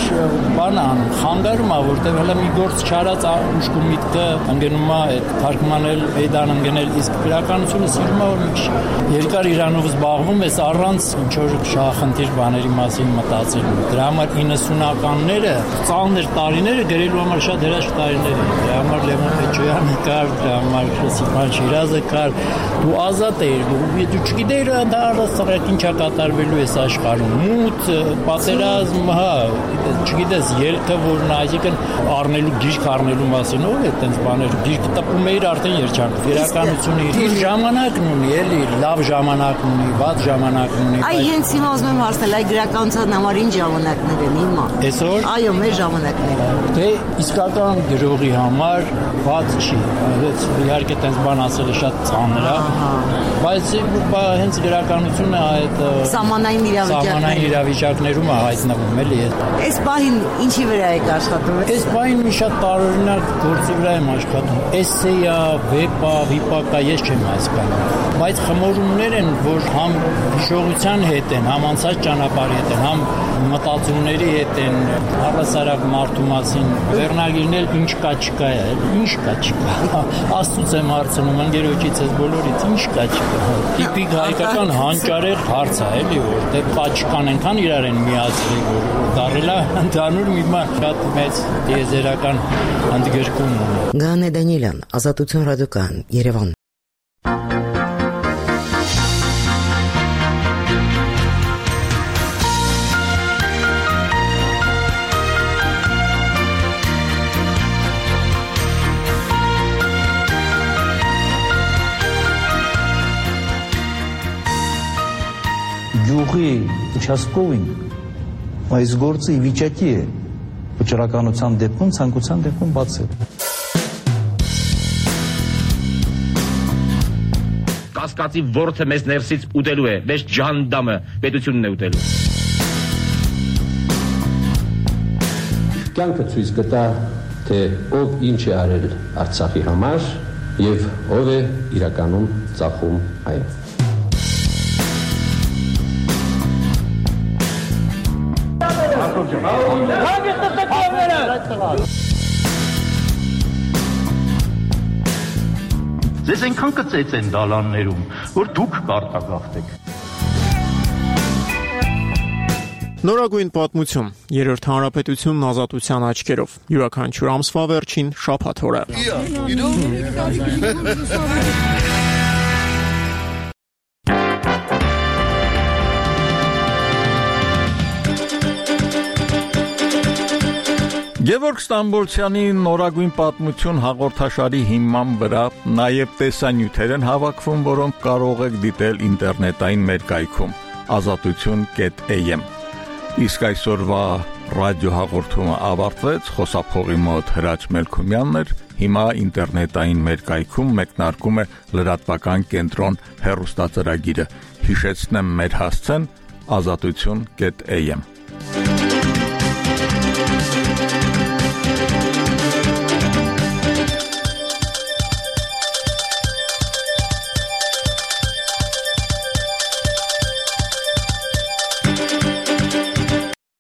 բան անում, խանգարում է, որտեղ հələ մի գործ չարած ուշքու միտքը ընկնում է, այդ թարգմանել, մեդան ընկնել, իսկ գրականությունը սիրում է, որ մի քիչ երկար իրանով զբաղվում ես առանց ինչ որ շահախնդիր բաների մասին մտածելու։ Դրա համար իննսունականները, ծանր տարիները գրելու համար շատ հրաշք տարիներ են։ Դրա համար Լևոն Պեչոյանը կար, դրա համար Սիփան Շիրազը կար, դու ազատ էիր, դու չգիտեիր դա առասարակ ինչա կատարվելու էս աշխարհում։ Մութ, պատերազմ, հա, չգիտես, ելքը որն այսինքն առնելու գիրք առնելու մասին ով է այդպես բաներ, գիրքը տպում էիր արդեն երջանք։ Վերականությունը իր ժամանակն ունի, էլի, լավ ժամանակն ունի, վատ ժամանակն ունի։ Այ հենց հիմա ուզում եմ հարցնել, այ գրականության համար ինչ ժամանակներ են հիմա։ Այսօր։ Այո, մեր ժամանակները։ Դե իսկական գրողի համար վատ չի։ Իհարկե այդպես բան ասելը շատ ծանր է, բայց հենց գրականությունը այդ սահմանային իրավիճակներում սահմանային իրավիճակներում է հայտնվում, էլի։ Այս պահին ինչի վրա եք աշխատում։ Այս պահին մի շատ տարօրինակ գործի վրա եմ աշխատում։ Էսսեյա, վեպա, վիպակա, ես չեմ հասկանում։ Բայց խմորումներ են, որ համ հիշողության հետ են, համ անցած ճանապարհի հետ են, համ մտածումների հետ են, առասարակ մարդու մասին։ Վերնագիրն էլ ինչ կա չկա է, ինչ կա չկա։ Աստծուց եմ հարցնում, ընկերոջից ես բոլորից ինչ կա չկա։ Տիպիկ հայկական հանճարեղ հարց է, էլի, որտեղ պաչկան ենքան իրար են միացրի, որ դարելա ընդհանուր մի բան շատ մեծ տիեզերական ընդգրկում ունի։ Գանե Դանիելյան, Ազատություն ռադիոկայան, Երևան։ Գյուղի участковին այս գործը ի վիճակի է վճռականության դեպքում, ցանկության դեպքում բացել։ Կասկածի ворթը մեզ ներսից ուտելու է, մեզ ջանդամը պետությունն է ուտելու։ Կյանքը ցույց կտա, թե ով ինչ է արել Արցախի համար եւ ով է իրականում ծախում այն։ Ձեզ այնքան կծեց են դալաններում, որ դուք կարտագաղթեք։ Նորագույն պատմություն, երրորդ հանրապետությունն ազատության աչքերով, յուրաքանչյուր ամսվա վերջին շաբաթ օրը։ Գևորգ Ստամբոլցյանի նորագույն պատմություն հաղորդաշարի հիման վրա նաև տեսանյութեր են հավաքվում, որոնք կարող եք դիտել ինտերնետային մեր կայքում ազատություն կետ էյ էմ։ Իսկ այսօրվա ռադիոհաղորդումը ավարտվեց, խոսափողի մոտ Հրաչ Մելքումյանն էր, հիմա ինտերնետային մեր կայքում մեկնարկում է լրատվական կենտրոն հեռուստածրագիրը։ Հիշեցնեմ մեր հասցեն ազատություն կետ էյ էմ։